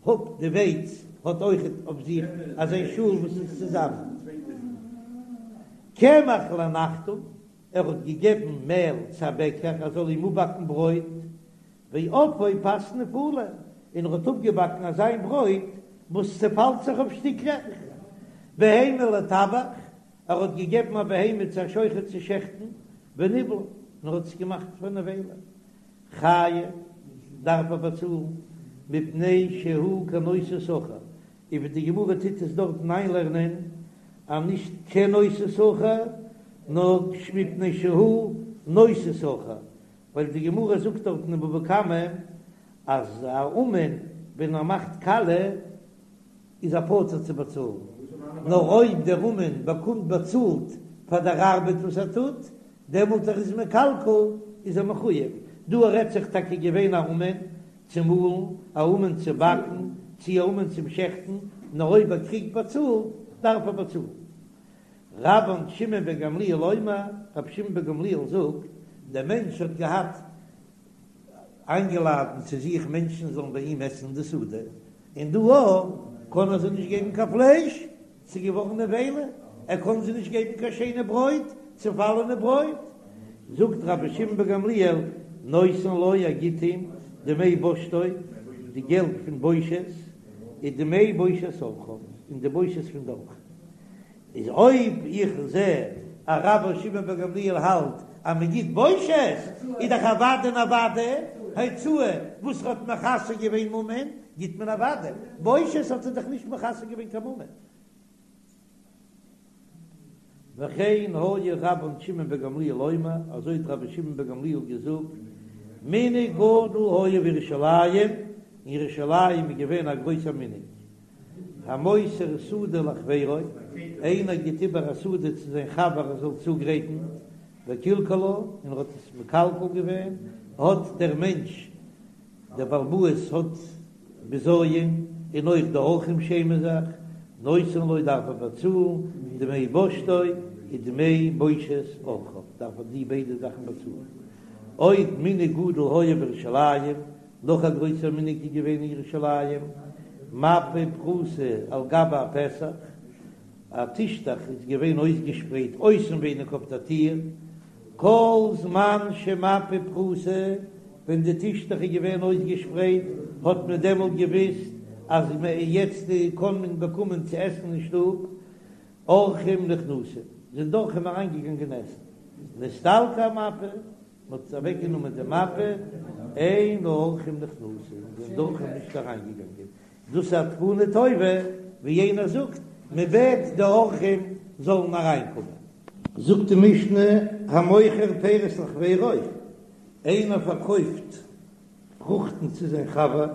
האט די ווייץ האט אויכעט אויף זיך אזא שאל וואס איז צוזאמען. קמח לנחתום, ער האט געגעבן מעל צו א בעקער ער זאל אים אפבאקן ברויט, ואפאו פת נפולה, און ער האט אפגעבאקן אזיין ברויט וואס צעפאלט זיך אויף שטיקלעך. בהמה לטבח, ער האט געגעבן א בהמה צו א שוחט צו שעכטן, וניבלה, און ער האט עס געמאכט פאר נבילה. חייב, דארף ער באצאלן, מפני שהוא כנושא שכר, און ווי די גמרא טוט עס דארטן איינלערנען אז נישט כנושא שכר, נאר מפני שהוא נושא שכר, ווייל די גמרא זאגט דארטן אין בבא קמא אז א אומן ווען ער מאכט קאליע איז ער פטור צו באצאלן, נאר אויב דער אומן באקומט באצאלט פאר דער ארבעט וואס ער טוט, דעמאלט ער איז מקלקל איז ער מחויב. דא רעדט זיך טאקע געווען א אומן צו מאלן, א אומן צו באקן, צי א אומן צום שעכטן, נאר אויב ער קריגט באצאלט דארף ער באצאלן. רבן שמעון בן גמליאל אומר, רבי שמעון בן גמליאל זאגט, דער מענטש האט געהאט איינגעלאדן צו זיך מענטשן זאלן ביי אים עסן די סעודה, און דא אויך קען ער זיי נישט געבן קיין פלייש, ס'איז געווארן נבילה, ער קען זיי נישט געבן קיין שיינע ברויט, צעפאלענע ברויט. זאגט רבי שמעון בן גמליאל, נותן לו, ער גיט אים דמי בושתו, די געלט פון בושת, ודמי בושת אורחיו, און די בושת פון די אורחים. איז אויב איך זע אז רבן שמעון בן גמליאל האלט אז מען גיט בושת, איז דאך אוודאי און אוודאי הוצאה וואס האט מכסה געווען ממון, גיט מען אוודאי, בושת האט ער דאך נישט מכסה געווען קיין ממון. וכן היה רבן שמעון בן גמליאל אומר, אזוי האט רבי שמעון בן גמליאל געזאגט, מנהג גדול היה בירושלים, אין ירושלים איז געווען א גרויסער מנהג, המוסר שדה לחבירו, איינער גיט איבער א שדה צו זיין חבר ער זאל צוגרייטן, וקלקלה, און ער האט עס מקלקל געווען, האט דער מענטש, דער בעל הבית האט בזיון, און אויך די אורחים שעמען זיך, נותן לו דארף ער באצאלן דמי בושתו ודמי בושת אורחיו, דארף ער די ביידע זאכן באצאלן. עוד מנהג גדול היה בירושלים, נאך א גרויסער מנהג איז געווען אין ירושלים, מפה פרוסה על גבי הפתח, א טישטעך איז געווען אויסגעשפרייט אויסנווייניג אויף דער טיר, כל זמן שמפה פרוסה, ווען די טישטעך איז געווען אויסגעשפרייט האט מען דעמאלט געוויסט אז יעצט קען מען באקומען צו עסן אין שטוב, אורחים נכנסים, זענען די אורחים אריינגעגאנגען עסן, נסתלקה המפה, מען האט אוועקגענומען די מפה, אין האורחים נכנסים, זענען די אורחים נישט אריינגעגאנגען, דאס איז א תקנה טובה, ווי יענער זאגט, מען בעט די אורחים זאלן אריינקומען. זאגט די משנה, המוכר פירות לחבירו, איינער פארקויפט פרוכטן צו זיין חבר,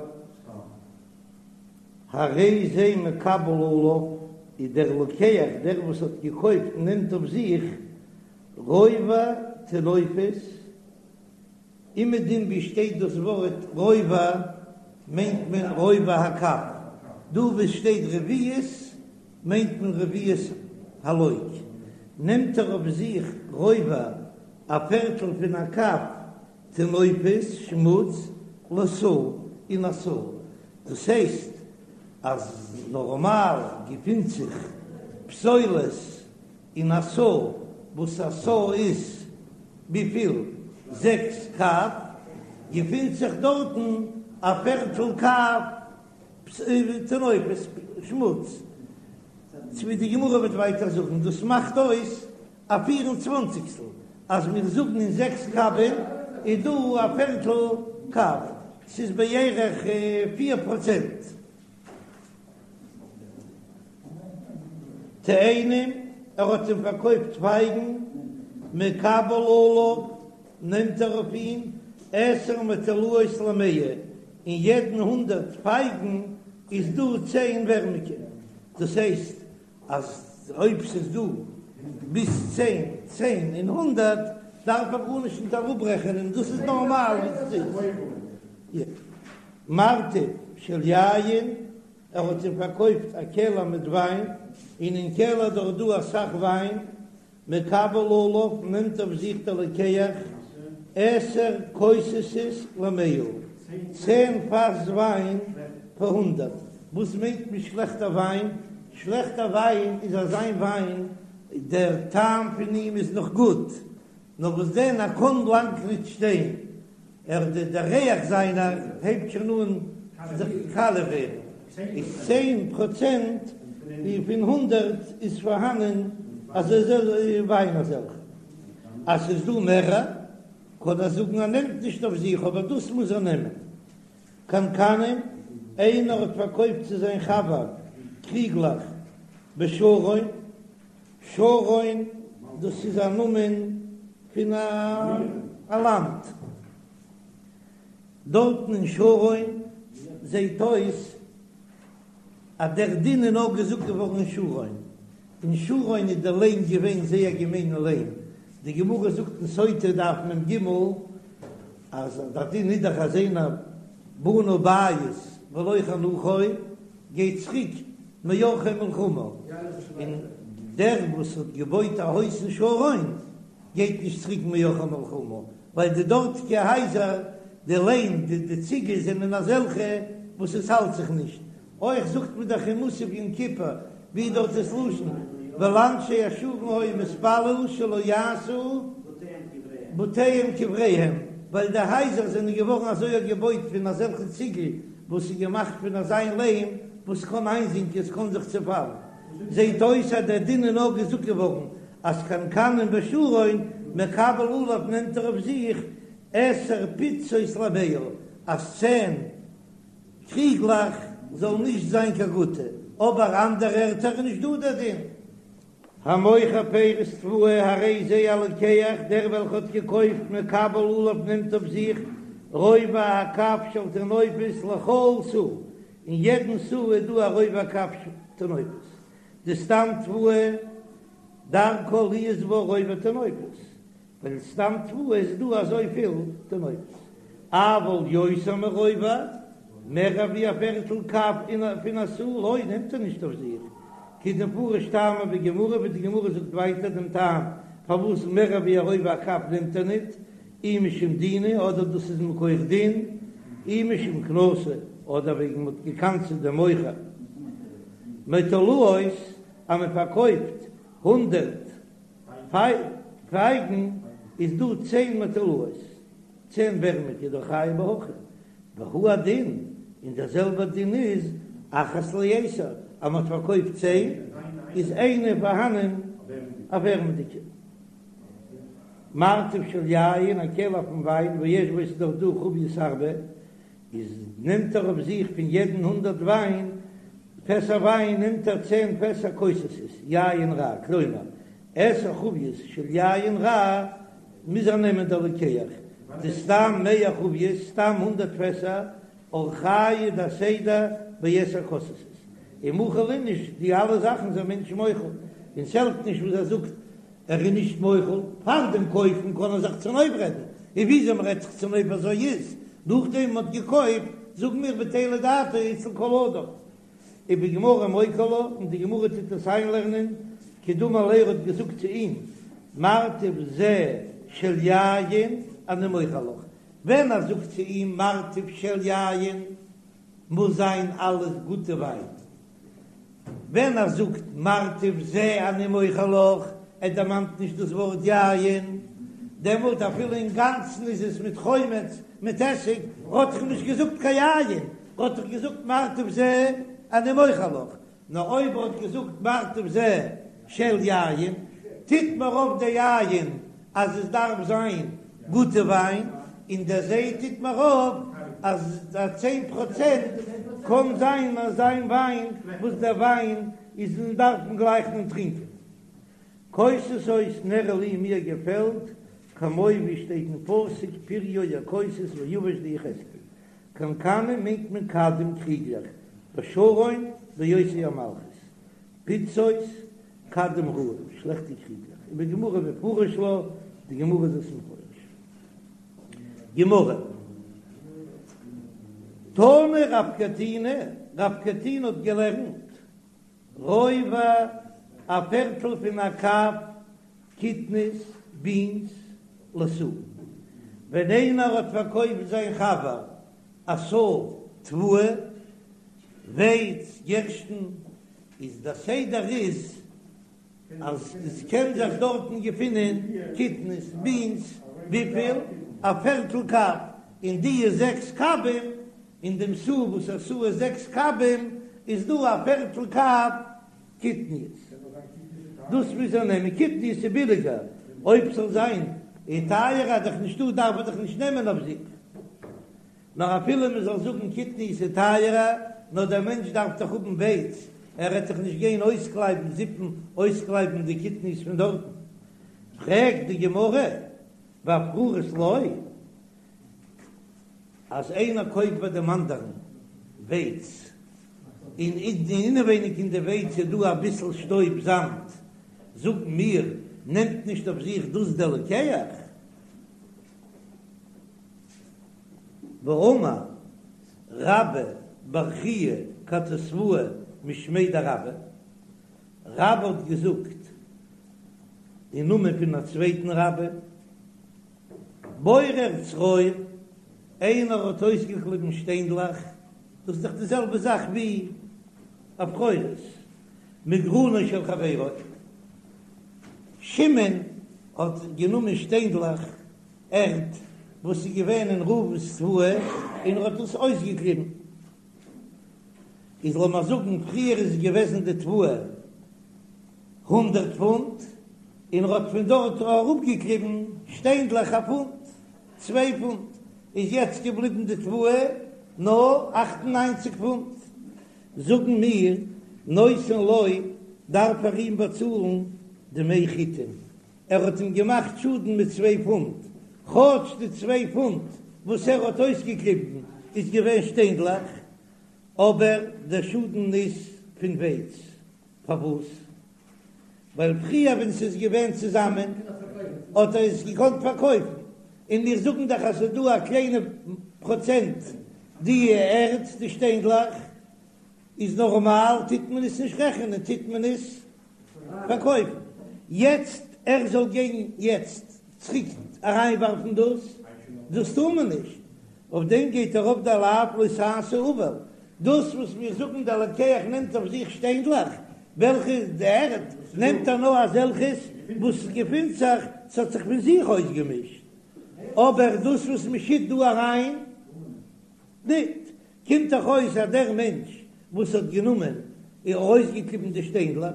הרי זה מקבל עליו, איז דער לוקח, דער וואס האט געקויפט נעמט אויף זיך רובע טינופת, אומעדום ווי שטייט דאס ווארט רובע מיינט מען רובע הקב, דא וואו ס'שטייט רביעית מיינט מען רביעית הלוג, נעמט ער אויף זיך רובע א פערטל פון א קב טינופת שמוץ לסאה אין א סאה, דאס הייסט אז נארמאל געפינט זיך פסולת אין א סאה, וואס א סאה איז וויפיל? זעקס קב, געפינט זיך דארטן א פערטל קב טינופת שמוץ, ווי די גמרא וועט ווייטער זאגן, דאס מאכט אויס א פיר און צוואנציגסטל, אז מיר זאגן אין זעקס קבין איז דא א פערטל קב, ס'איז בערך פיר פראצענט. תאנים, ער האט אים פארקויפט פייגן, מקבל עליו, נעמט ער אויף אים, עשר מטולאות למאה, אין יעדן הונדרעט פייגן איז דא צען ווערמיקע, דאס הייסט אז אויב ס'איז דא ביז צען, צען אין הונדרעט, דארף ער גארנישט נישט אראפרעכענען, דאס איז נארמאל ווי עס איז. מרתף של יין, ער האט אים פארקויפט א קעלער מיט וויין, און אין קעלער דארט דא אסאך וויין, מקבל עליו, נעמט אויף זיך דער לוקח עשר כוסות למאה, צען פאס וויין פאר הונדרעט, וואס מיינט מען שלעכטע וויין? שלעכטע וויין איז אזיין וויין דער טעם פון אים איז נאך גוט, נאר וואס דען ער קען לאנג נישט שטיין, ער דער ריח זיינער הייבט שוין אן זיך קאליע ווערן, איז צען פראצענט פון הונדרעט איז פארהאנען אזוי וויין אזעלכע, אז ס'איז דא מערער. קען ער זאגן ער נעמט נישט אויף זיך אבער דאס מוז ער נעמען. קנקנים, איינער האט פארקויפט צו זיין חבר קריגלעך בשרון, שרון דאס איז א נאמען פון א לאנד, דארטן אין שרון זעהט אויס אז דער דין איז נאר געזאגט געווארן אין שרון, אין שרון איז דער ליים געווען זייער געמיינע ליים, די גמרא זאגט אין סוטה דף מ"ג אז דער דין איז דאך אז איינער בנה בית ולא חנכו גייט צוריק מעורכי מלחמה, און דער וואס האט געבויט א הויז אין שרון גייט נישט צוריק מעורכי מלחמה, ווייל די דארטיגע הייזער, די ליים, די ציגל זענען אזעלכע וואס עס האלט זיך נישט, אויך זאגט מען דאך אין מוסף יום כיפור, ווי דארט איז לשון, ולאנשי השרון היה מתפלל שלא יעשו בתיהם קבריהם, ווייל די הייזער זענען געווארן אזוי געבויט פון אזעלכע ציגל וואס איז געמאכט פון אזיין ליים וואס קען איינזינקען, עס קען זיך צעפאלן. זעט אויס אז דער דין איז נאר געזאגט געווארן אז קנקנים בשרון מקבל עליו נעמט ער אויף זיך עשר פצות למאה אז צען קריגלעך זאלן נישט זיין קיין גוטע, אבער אנדערע ערטער איז נישט דא דער דין. המוכר פירות תבואה הרי זה הלוקח, דער וועלכע האט געקויפט מקבל עליו נעמט אויף זיך רובע הקב של טינופת לכל סאה, אין יעדן סאה איז דא א רובע הקב של טינופת, דסתם תבואה דרכה להיות בה רובע טינופת, ווייל סתם תבואה איז דא אזויפיל טינופת, אבל יותר מרובע, מער ווי א פערטל קב פון א סאה לא נעמט ער נישט אויף זיך, כדמפרש טעמא בגמרא ווי די גמרא זאגט ווייטער דעם טעם פארוואס מער ווי א רובע הקב נעמט ער ניט, אי משום דינא אדער דאס איז מכח דין, אי משום קנסא אדער וועגן מ'האט געקנס'עט דעם מוכר מטולאות אז מ'פארקויפט הונדרעט פייגן איז דא צען מטולאות, צען ווערמיגע דחייב בהכי, והוא הדין, און דער זעלבער דין איז אחת לעשר, אז מען האט פארקויפט צען איז איינע פארהאנען א ווערמדיגע. מרתף של יין, א קעלער פון וויין, ויש בו ס'איז דאך דא חביות הרבה, איז נעמט ער אויף זיך פון יעדן הונדרעט וויין פעסער וויין נעמט ער צען פעסער כוססות יין רע, כלומר עשר חביות של יין רע מוז ער נעמען דער לוקח, דסתם מאה חביות סתם הונדרעט פעסער אורחייהו דהסדר בעשר כוססות, ומחיל איניש די אלע זאכן זענען מענטשן מוחל, און ס'העלפט נישט וואס ער זאגט ער איז נישט מוחל, פאר דעם קויפן קען ער זיך צונויפרעדן, און וויאזוי מען רעדט זיך צונויף אזוי איז, נאכדעם מען האט געקויפט, זאגן מיר בטלה דעתו אצל כל אדם. ובגמרא מוקי לה, און די גמרא טוט עס איינלערנען, כדאמר ליה ער האט געזאגט צו אים, מרתף זה של יין אני מוכר לך, ווען ער זאגט צו אים מרתף של יין מוז זיין אלעס גוטע וויין, ווען ער זאגט מרתף זה אני מוכר לך, ער דערמאנט נישט דאס ווארט יין, דעמאלט אפילו אינגאנצן איז עס מיט חומץ, מיט עסיג, האט דאך נישט געזאגט קיין יין, האט דאך געזאגט מרתף זה אני מוכר לך, נאר אויב ער האט געזאגט מרתף זה של יין, טוט מיר אויף די יין אז עס דארף זיין גוטע וויין, און דער זה טוט מיר אויף אז א צען פראצענט קען זיין אזא וויין וואס דער וויין איז און דארף מען גלייך נישט טרינקען. כוססות נראה לי מיר געפעלט כמו ווי שטייט אין פסוק פריו הכוסס ויבש די יחזקאל קנקנים מיינט מען כדים קריגלעך בשרון באותה המלכות פצות כדים רעים, שלעכטע קריגלעך, ובגמרא מפרש לה, די גמרא איז עס מפרש. גמרא. תנא רב קטינא, רב קטינא האט געלערנט, רובע, א פערטל פון א קב קטניות, בינס, לסאה. ווען איינער האט פארקויפט זיין חבר א סאה תבואה, ווייץ, גערשטן, איז דער סדר איז אז עס קען זיך דארטן געפינען קטניות, בינס, וויפיל? א פערטל קב, אין די זעקס קבים, אין דעם סאה וואס א סאה איז זעקס קבים, איז דא א פערטל קב קטניות, דאס מוז ער נעמען, קטניות איז ביליגער, אויב ס'זאל זיין. איז טייערער דאך נישטא דארף ער דאך נישט נעמען אויף זיך. נאר אפילו מען זאל זאגן קטניות איז טייערער, נאר דער מענטש דארף דאך האבן ווייץ, ער וועט דאך נישט גיין אויסקלייבן זיפן אויסקלייבן די קטניות פון דארטן. פרעגט די גמרא, ואפרורות לא? אז איינער קויפט ביי דעם אנדערן ווייץ, און אינעווייניג אין די ווייץ איז דא אביסל שטויב זאמד, זאגן מיר, נעמט נישט אויף זיך דאס דער לוקח? והאמר רבה בר חייא כתתבאי משמיה דרבה, רבה האט געזאגט אין נאמען פון א צווייטן רבה, בורר צרור, איינער האט אויסגעקליבן שטיינדלעך, דאס איז דאך די זעלבע זאך ווי אפרורות, מגרנו של חברו, שמעון האט גענומען שטיינדלעך ערד וואס איז געווען אין ראובן'ס תבואה און ער האט עס אויסגעקליבן, איז לאמיר זאגן פריער איז געוועזן די תבואה הונדרעט פונט, און ער האט פון דארט אראפגעקליבן שטיינדלעך א פונט, צוויי פונט, איז יעצט געבליבן די תבואה נאר 98 פונט, זאגן מיר נותן לו דארף ער אים באצאלן דמי חיטין, ער האט אים געמאכט שאדן מיט צוויי פונט, כאטש די צוויי פונט וואס ער האט אויסגעקליבן איז געווען שטיינדלעך, אבער דער שאדן איז פון ווייץ. פארוואס? ווייל פריער ווען ס'איז געווען צוזאמען האט ער עס געקאנט פארקויפן, און מיר זאגן דאך אז ס'איז דא א קליינע פראצענט די ערד, די שטיינדלעך, איז נארמאל טוט מען עס נישט רעכענען, טוט מען עס פארקויפן. יעצט ער זאל גיין יעצט צוריק אריינווארפן דאס, דאס טאר מען נישט, אויף דעם גייט ארויף דער לאו לא תעשה עול, דאס וואס מיר זאגן דער לוקח נעמט אויף זיך שטיינדלעך, וועלכע איז די ערד, נעמט ער נאר אזעלכעס וואס געפינט זיך, ס'האט זיך פון זיך אויסגעמישט, אבער דאס וואס מ'שיט דא אריין, ניט. קומט דאך אויס אז דער מענטש וואס האט גענומען און ארויסגעקליבן די שטיינדלעך,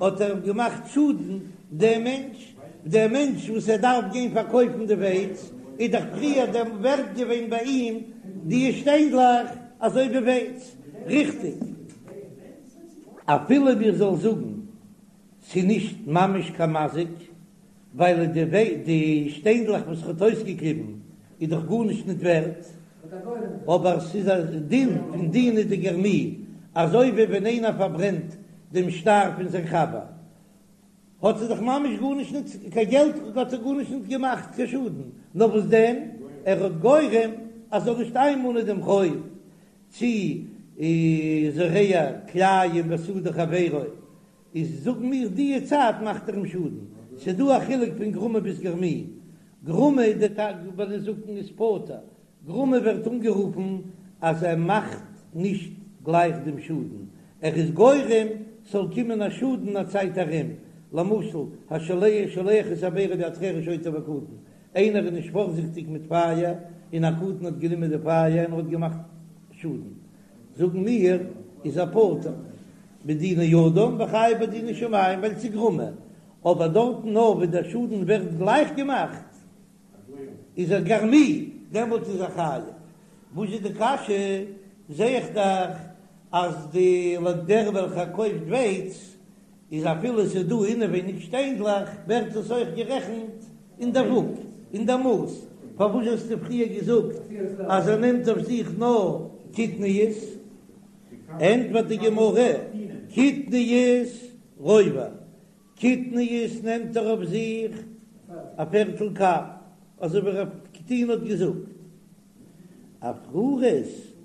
האט ער געמאכט שאדן דעם מענטש, דער מענטש וואס ער דארף גיין פארקויפן די ווייץ, איז דאך פריער דער ווערט געווען ביי אים די שטיינדלעך אזוי ווי ווייץ, ריכטיג? אפילו מיר זאלן זאגן ס'איז נישט ממש קיין מזיק, ווייל די די שטיינדלעך וואס ער האט אויסגעקליבן איז דאך גארנישט ניט ווערט, אבער ס'איז א דין פון דינא דגרמי, אזוי ווי ווען איינער פארברענט דעם שטר פון זיין חבר, האט ער דאך ממש גארנישט ניט, קיין געלט האט ער גארנישט ניט געמאכט קיין שאדן, נאר וואס דען, ער האט גורם אז זאל נישט איינמאנען דעם חוב, צי זורע כלאים בשדה חברו, איז זאגן מיר דיע צייט מאכט ער אים שאדן, ס'איז דא א חילוק פון גרמא ביז גרמי, גרמא איז די טייטש ביי נזקין איז פטור, גרמא ווערט אנגערופן אז ער מאכט נישט גלייך דעם שאדן, ער איז גורם ס'זאל קומען א שאדן א צייט ארום, למשל השולח את הבערה ביד חרש שוטה וקטן, איינער איז נישט פארזיכטיג מיט פייער און א קטן האט גענומען די פייער און האט געמאכט שאדן, זאגן מיר איז ער פטור מדיני אדם וחייב בדיני שמים ווייל ס'איז גרמא, אבער דארטן נאר ווען דער שאדן ווערט גלייך געמאכט איז ער גרמי, דעמאלט איז ער חייב. וואס איז די קשיא? זע איך דאך אז די דער וועלכער קויפט ווייץ איז אפילו ס'איז דא אינעווייניג שטיינדלעך ווערט עס אויך גערעכנט אין דער וואג, אין דער מאס, פארוואס האסטו פריער געזאגט אז ער נעמט אויף זיך נאר קטניות? ענטפערט די גמרא, קטניות רובע, קטניות נעמט ער אויף זיך א פערטל קב, אזוי ווי רב קטינא האט געזאגט. אפרורות,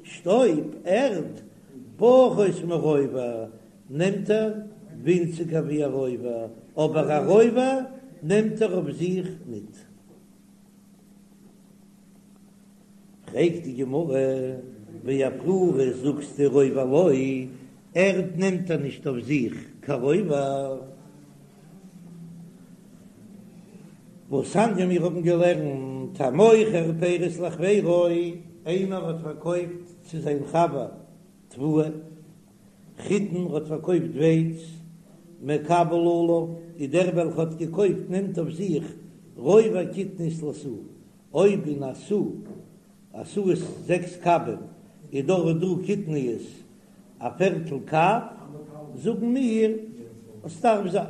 שטויב, ערד, פחות מרובע, נעמט ער ווינציגער ווי א רובע, אבער א רובע נעמט ער אויף זיך ניט. פרעגט די גמרא, ואפרורות זאגסטו רובע לא, ערד נעמט ער נישט אויף זיך קיין רובע. והתניא מיר האבן געלערנט המוכר פירות לחבירו, איינער האט פארקויפט צו זיין חבר תבואה, חיטין האט פארקויפט ווייץ, מקבל עליו, איז דער וועלכע האט געקויפט נעמט אויף זיך. רובע קטניות לסאה, אויב אין א סאה, א סאה איז זעקס קבים, איז דארט דא קטניות א פערטל קב, זאגן מיר אז ס'דארף זיין.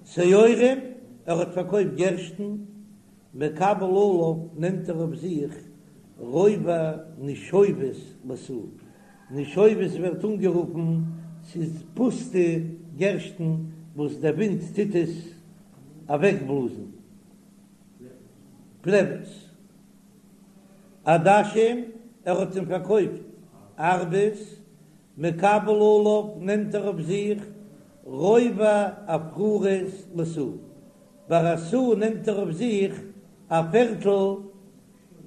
שעורים, ער האט פארקויפט גערשטן, מקבל עליו נעמט ער אויף זיך רובע נשובות לסאה, נשובות ווערט אנגערופן ס'איז פוסטע גערשטן וואס דער ווינט טוט עס אוועקבלאזן, פלעוועס. עדשים, ער האט אים פארקויפט ארבעס, מקבל עליו נעמט ער אויף זיך רובע עפרורות לסאה, ביי א סאה נעמט ער אויף זיך א פערטל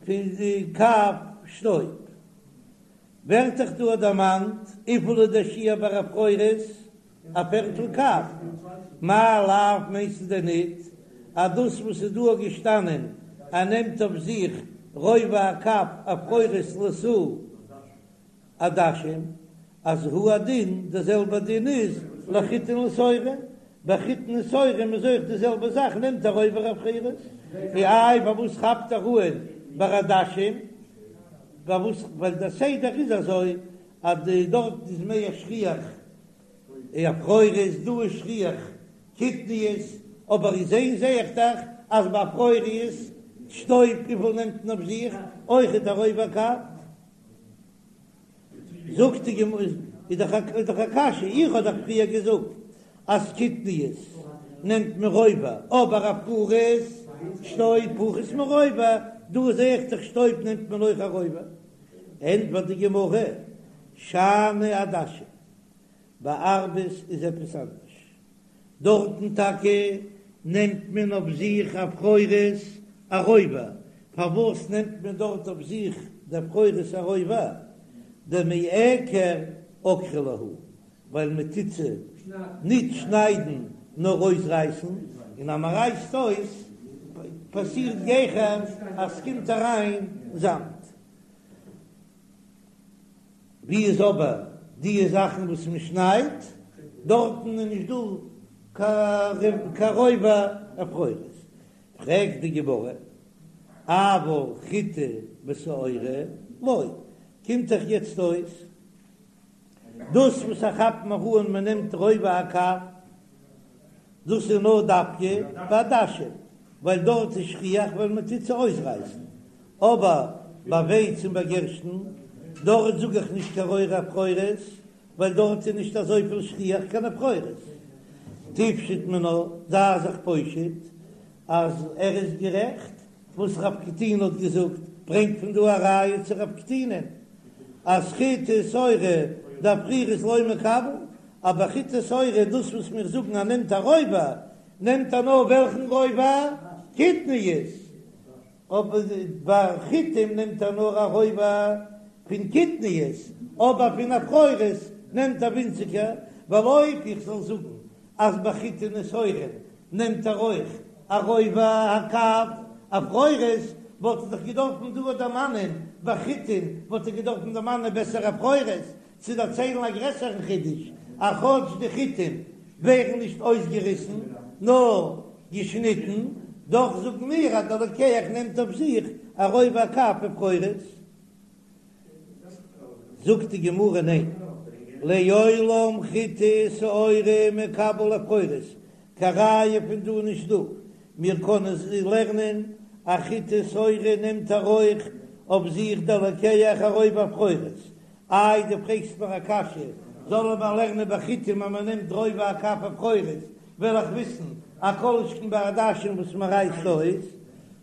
פון די קב שטויב. ווערט דאך דא דערמאנט וויפיל איז דער שיעור ביי עפרורות? א פערטל קב. מאי לאו מיינסטו דען ניט אז דאס וואס איז דא געשטאנען ער נעמט אויף זיך רובע הקב עפרורות לסאה עדשים אז הוא הדין די זעלבע דין איז לחיטין ולשעורים, ביי חיטין און שעורים איז אויך די זעלבע זאך נעמט ער רובע עפרורות, איי פארוואס כאפט ער אהן ביי עדשים? פארוואס ווייל דער סדר איז אזוי אז די דארט איז מער שכיח עפרורות דא איז שכיח קטניות, אבער אין זעהן זעה איך דאך אז ביי עפרורות שטויב וויפיל נעמט מען אויף זיך אויכעט א רובע קב. זאגט די גמרא, איז דאך איז דאך א קשיא, איך האב דאך פריער געזאגט אז קטניות נעמט מען רובע, אבער עפרורות שטויב פחות מרובע, דא זעה איך דאך שטויב נעמט מען אויך א רובע. ענטפערט די גמרא, שאני עדשים, ביי ארבעס איז עפעס אנדערש, דארטן טאקע נעמט מען אויף זיך עפרורות א רובע, פארוואס נעמט מען דארט אויף זיך די עפרורות א רובע? דמיעקר עקרי להו, ווייל מען טוט זיי ניט שניידן נאר אויסרייסן, און אז מען רייסט אויס פאסירט גיכער אז ס'קומט אריין זאמד. ווי איז אבער די זאכן וואס מען שניידט, דארטן איז נישט דא קיין רובע עפרורות. פרעגט די גמרא, אבל חיטי ושעורי לא, קומט דאך יעצט אויס דאס וואס איך כאפ מיר אן מען נעמט רובע הקב, דאס איז נאר דווקא ביי עדשים, ווייל דארט איז שכיח ווייל מען טוט זיי אויסרייסן, אבער ביי ווייץ און ביי גערשטן, דארט זאג איך נישט קיין רובע עפרורות, ווייל דארט איז נישט אזויפיל שכיח קיין עפרורות. תפשוט מינה, זיי זיך פושט אז ער איז גערעכט וואס רב קטינא האט געזאגט, ברענגט פון דא א ראיה צו רב קטינא אז חיטי ושעורי דאפרורות לא מקבל, אבער חיטי ושעורי דאס וואס מיר זאגן אז נעמט א רובע, נעמט ער נאר וועלכן רובע? קטניות, אבער ביי חיטים נעמט ער נאר א רובע פון קטניות, אבער פון עפרורות נעמט ער ווינציגער, ווייל אויב איך זאל זאגן אז ביי חיטין ושעורים נעמט ער אויך א רובע הקב עפרורות, וואלט ער דאך געדארפן דא דערמאנען ביי חיטין וואלט ער געדארפן דערמאנען בעסער עפרורות, צו דערציילן א גרעסערן חידוש, אז כאטש די חיטים ווערן נישט אויסגעריסן נאר געשניטן, דאך זאגן מיר אז דער לוקח נעמט אויף זיך א רובע הקב עפרורות. זאגט די גמרא ניין, לעולם חיטי ושעורי מקבל עפרורות, קיין ראיה פון דא נישט דא, מיר קענען לערנען אז חיטי ושעורי נעמט ער אויך אויף זיך דער לוקח א רובע עפרורות, איי דו פרעגסט מיר א קשיא, זאלן מיר לערנען ביי חיטים אז מען נעמט רובע הקב עפרורות, וועל איך וויסן א כל שכן ביי עדשים וואס מען רייסט אויס,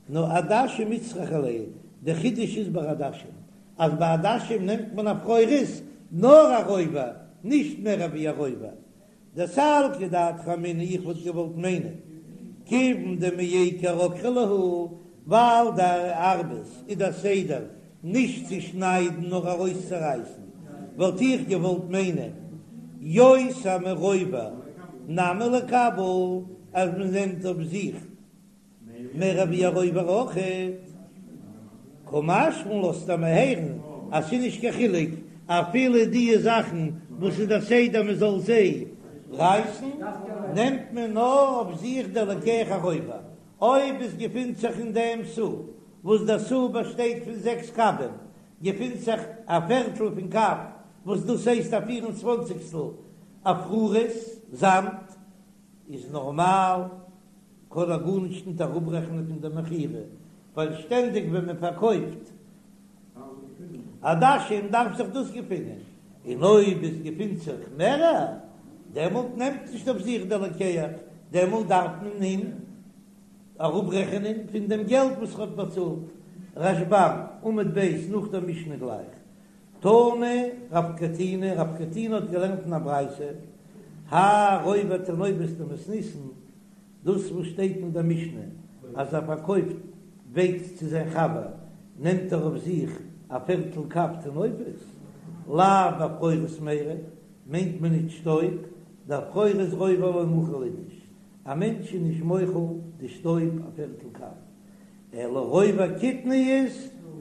נאר עדשים איצטריכא ליה, די חידוש איז ביי עדשים אז ביי עדשים נעמט מען עפרורות נאר א רובע, נישט מער ווי א רובע. דסלקא דעתך אמינא איך וואלט געוואלט מיינען כיוון דמיעקר עקרי להו, ווייל די ארבעס איז דער סדר נישט צו שניידן נאר ארויסצורייסן, וואלט איך געוואלט מיינען יותר מרובע נמי ליקבל אז מען נעמט אויף זיך מער ווי א רובע אויכעט. קא משמע לן לאזט ער מיר הערן אז ס'איז נישט קיין חילוק אפילו די זאכן וואס איז דער סדר מען זאל זיי. רייסן, נעמט מען נאר אויף זיך דער לוקח הרובע, אויב עס געפינט זיך אין דעם סאה, וואס דער סאה באשטייט פון זעקס קבים, געפינט זיך א פערטל פון קב, וואס דאס הייסט א פיר און צוואנציגסטל עפרורות, זאמד, איז נארמאל קען ער גארנישט ניט אראפרעכענען פון דער מכירה, ווייל שטענדיג ווען מען פארקויפט עדשים דארף זיך דאס געפינען, און אויב עס געפינט זיך מערער, דעמאלט נעמט נישט אויף זיך דער לוקח, דעמאלט דארף מען אים אראפרעכענען פון דעם געלט וואס ער האט באצאלט. רשב"ם, עמוד ב', נאך דער משנה גלייך. תנא רב קטינא, רב קטינא האט געלערנט אין א ברייתא, האי רובע טינופת דמתניתין, דאס וואס שטייט אין דער משנה אז ער פארקויפט ווייץ צו זיין חבר נעמט ער אויף זיך א פערטל קב טינופת, לאו בעפרורות מיירי, מיינט מען נישט שטויב, דעפרורות רובע לא מחיל איניש, א מענטש איז נישט מוחל די שטויב א פערטל קב, אלא רובע קטניות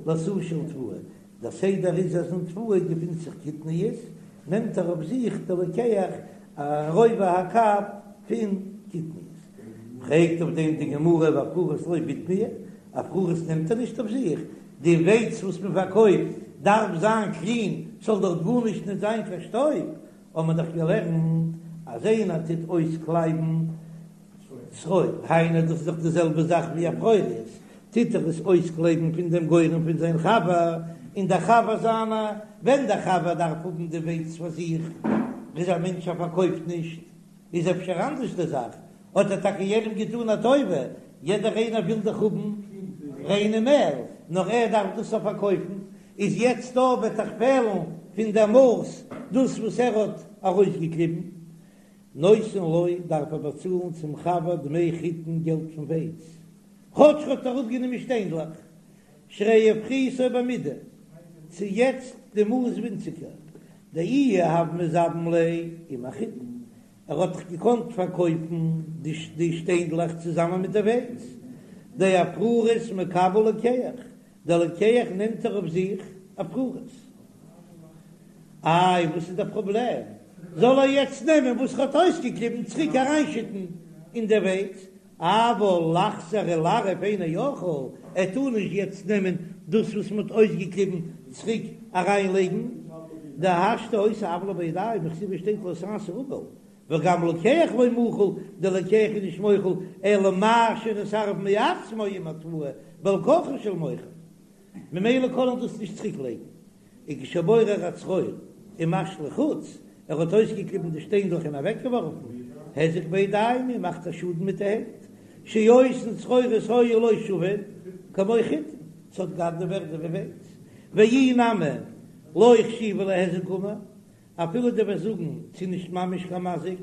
לסאה של תבואה, דער סדר איז אז אין תבואה געפינט זיך קטניות, נעמט ער אויף זיך דער לוקח א רובע הקב פון קטניות. פרעגט אויף דעם די גמרא ועפרורות לא בתמיה, עפרורות נעמט ער נישט אויף זיך, די ווייץ וואס מען פארקויפט דארף זיין קלין, ס'זאל דארט גארנישט נישט זיין קיין שטויב, האבן מיר דאך געלערנט אז איינער טוט אויסקלייבן צרור, היינו דאס איז דאך די זעלבע זאך ווי עפרורות, טוט ער עס אויסקלייבן פון דעם גורן פון זיין חבר, און דער חבר זיינער, ווען דער חבר דארף האבן די ווייץ פאר זיך, איז א מענטש ער פארקויפט נישט, איז אפשר אנדערש די זאך, האט ער טאקע יענעם געטאן א טובה, יעדער איינער וויל דאך האבן ריינע מעל, נאר ער דארף דאס אויף פארקויפן, איז יעצט דא וועט דאך פעלן פון דער מאס דאס וואס ער האט ארויסגעקליבן, נותן לו דארף ער באצאלן צום חבר דמי חיטין געלט פון ווייץ, כאטש ער האט אראפגענומען שטיינדלעך, שהרי הפחיתו במידה, ס'איז יעצט די מאס ווינציגער, דאי הוה מזבין ליה עם החיטין, ער האט דאך געקאנט פארקויפן די שטיינדלעך צוזאמען מיט די ווייץ, דאפרורות מקבל לוקח, דער לוקח נעמט ער אויף זיך עפרורות. איי וואס איז דער פראבלעם? זאל ער יעצט נעמען וואס ער האט אויסגעקליבן צוריק אריינשיטן אין די ווייץ, אבל לחזור ולערב אינו יכול, ער טאר נישט יעצט נעמען דאס וואס מען האט אויסגעקליבן צוריק אריינלייגן, דהשתא היתה עוולה בידיים, וכתיב שטייט לא תעשה עול, וגם לוקח לא מחיל, דער לוקח איז נישט מוחל, אלא מה שנתערב מעצמו עם התבואה, בעל כרחו של מוכר, ממילא קען ער דאס נישט צוריק לייגן. וכשבורר הצרור ומשליך חוץ, ער האט אויסגעקליבן די שטיינדלעך און אוועקגעווארפן, היזק בידיים און מאכט א שאדן מיט די הענט, שאותן צרורות היו לו שוין כמו חיטין, ס'האט געהאט די ווערדע ווי ווייץ, ואי נמי לא חשיבא להיזק גמור, אפילו דו וועסט זאגן ס'איז נישט ממש קיין מזיק,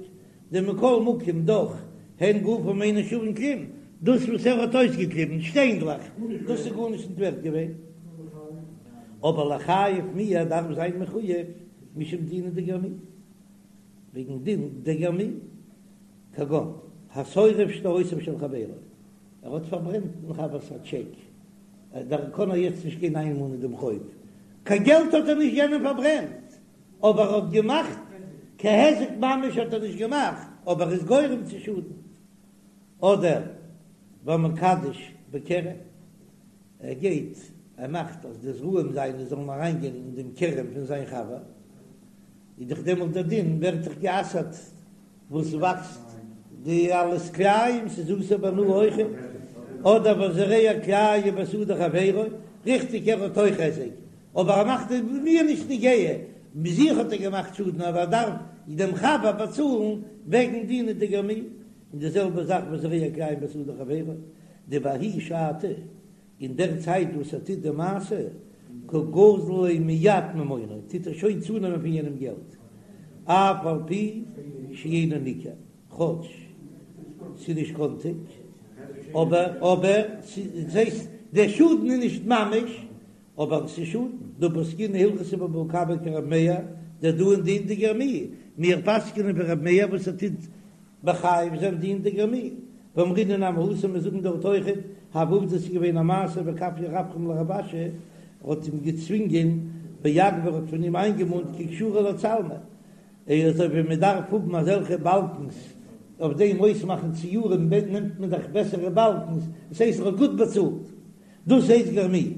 דמכל מקום דאך הן גופן אינן שווין כלום, דאס וואס ער האט אויסגעקליבן שטיינדלעך, דאס איז גארנישט נישט ווערט געווען. אבער לחייב מיהא דארף זיין מחויב משום דינא דגרמי, וועגן דין דגרמי, כגון השורף שטרותיו של חברו, ער האט פארברענט דעם חבר'ס א טשעק, דאן קען ער יעצט נישט גיין איינמאנען דעם חוב, קיין געלט האט ער נישט יענעם פארברענט, אבער ער האט געמאכט קיין היזק ממש האט ער נישט געמאכט, אבער איז גורם צו שאדן, אדער והמקדש בכרם, ער גייט ער מאכט אז די זרעים זיינע זאלן אריינגיין אין דעם כרם פון זיין חבר, איז דאך דעמאלט דער דין ווערט דאך גע'אסר'ט וואס וואקסט די אלעס כלאים, ס'איז אסור בהנאה אויכעט, אדער והזורע כלאים בשדה חברו, ריכטיג ער האט אויך היזק, אבער ער מאכט עס מיר נישט נוגע, זיך האט ער געמאכט שאדן אבער ער דארף דעם חבר באצאלן וועגן דינא דגרמי, און די זעלבע זאך והזורע כלאים בשדה חברו, דבההיא שעתא, אין דער צייט וואס ער טוט די מעשה, קא גזיל ליה מיד ממונא, טוט ער שוין צונעמען פון יענעם געלט, אף על פי שאינו ניכר, כאטש ס'איז נישט קאנטיג, אבער אבער ס'הייסט דער שאדן איז נישט ממש, אבער ס'איז שאדן, דהא פסקינן הלכתא בבבא קמא כרבי מאיר, דדאין דין דגרמי, מיר פסק'נען ווי רבי מאיר וואס ער טוט מחייב זיין דין דגרמי, ואמרינן נמי התם מיר זאגן דארט אויכעט, הוה עובדא ס'איז געווען א מעשה וכפייה רפרם לרב אשי, ער האט אים געצווינגען ואגביה ער האט פון אים איינגעמאנט כי קשרו לצלמא. אזוי ווי מען דארף האבן אזעלכע באלקנס אויף דעם אויסמאכן ציורים נעמט מען דאך בעסערע באלקנס, עס הייסט ער האט גוט באצאלט, דאס הייסט גרמוהו.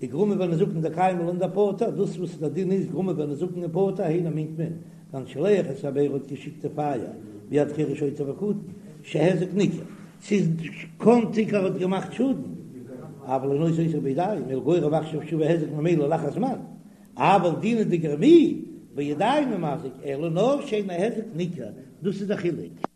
וגרמא ונזקין דקיימא לן דפטור, דאס וואס דער דין איז גרמא ונזקין פטור, היינו מיינט מען, כגון שילח את הבערה האט געשיקט די פייער ביד חרש שוטה וקטן, שהיזק ניכר, ס'איז קאנטיג ער האט געמאכט שאדן, אבל אינו עושה אותו בידיים, אלא גורם עכשיו שיבא היזק ממילא לאחר זמן, אבל דינא דגרמוהו בידיים הוא מזיק, אלא נאר שאין ההיזק ניכר, דאס איז די חילוק.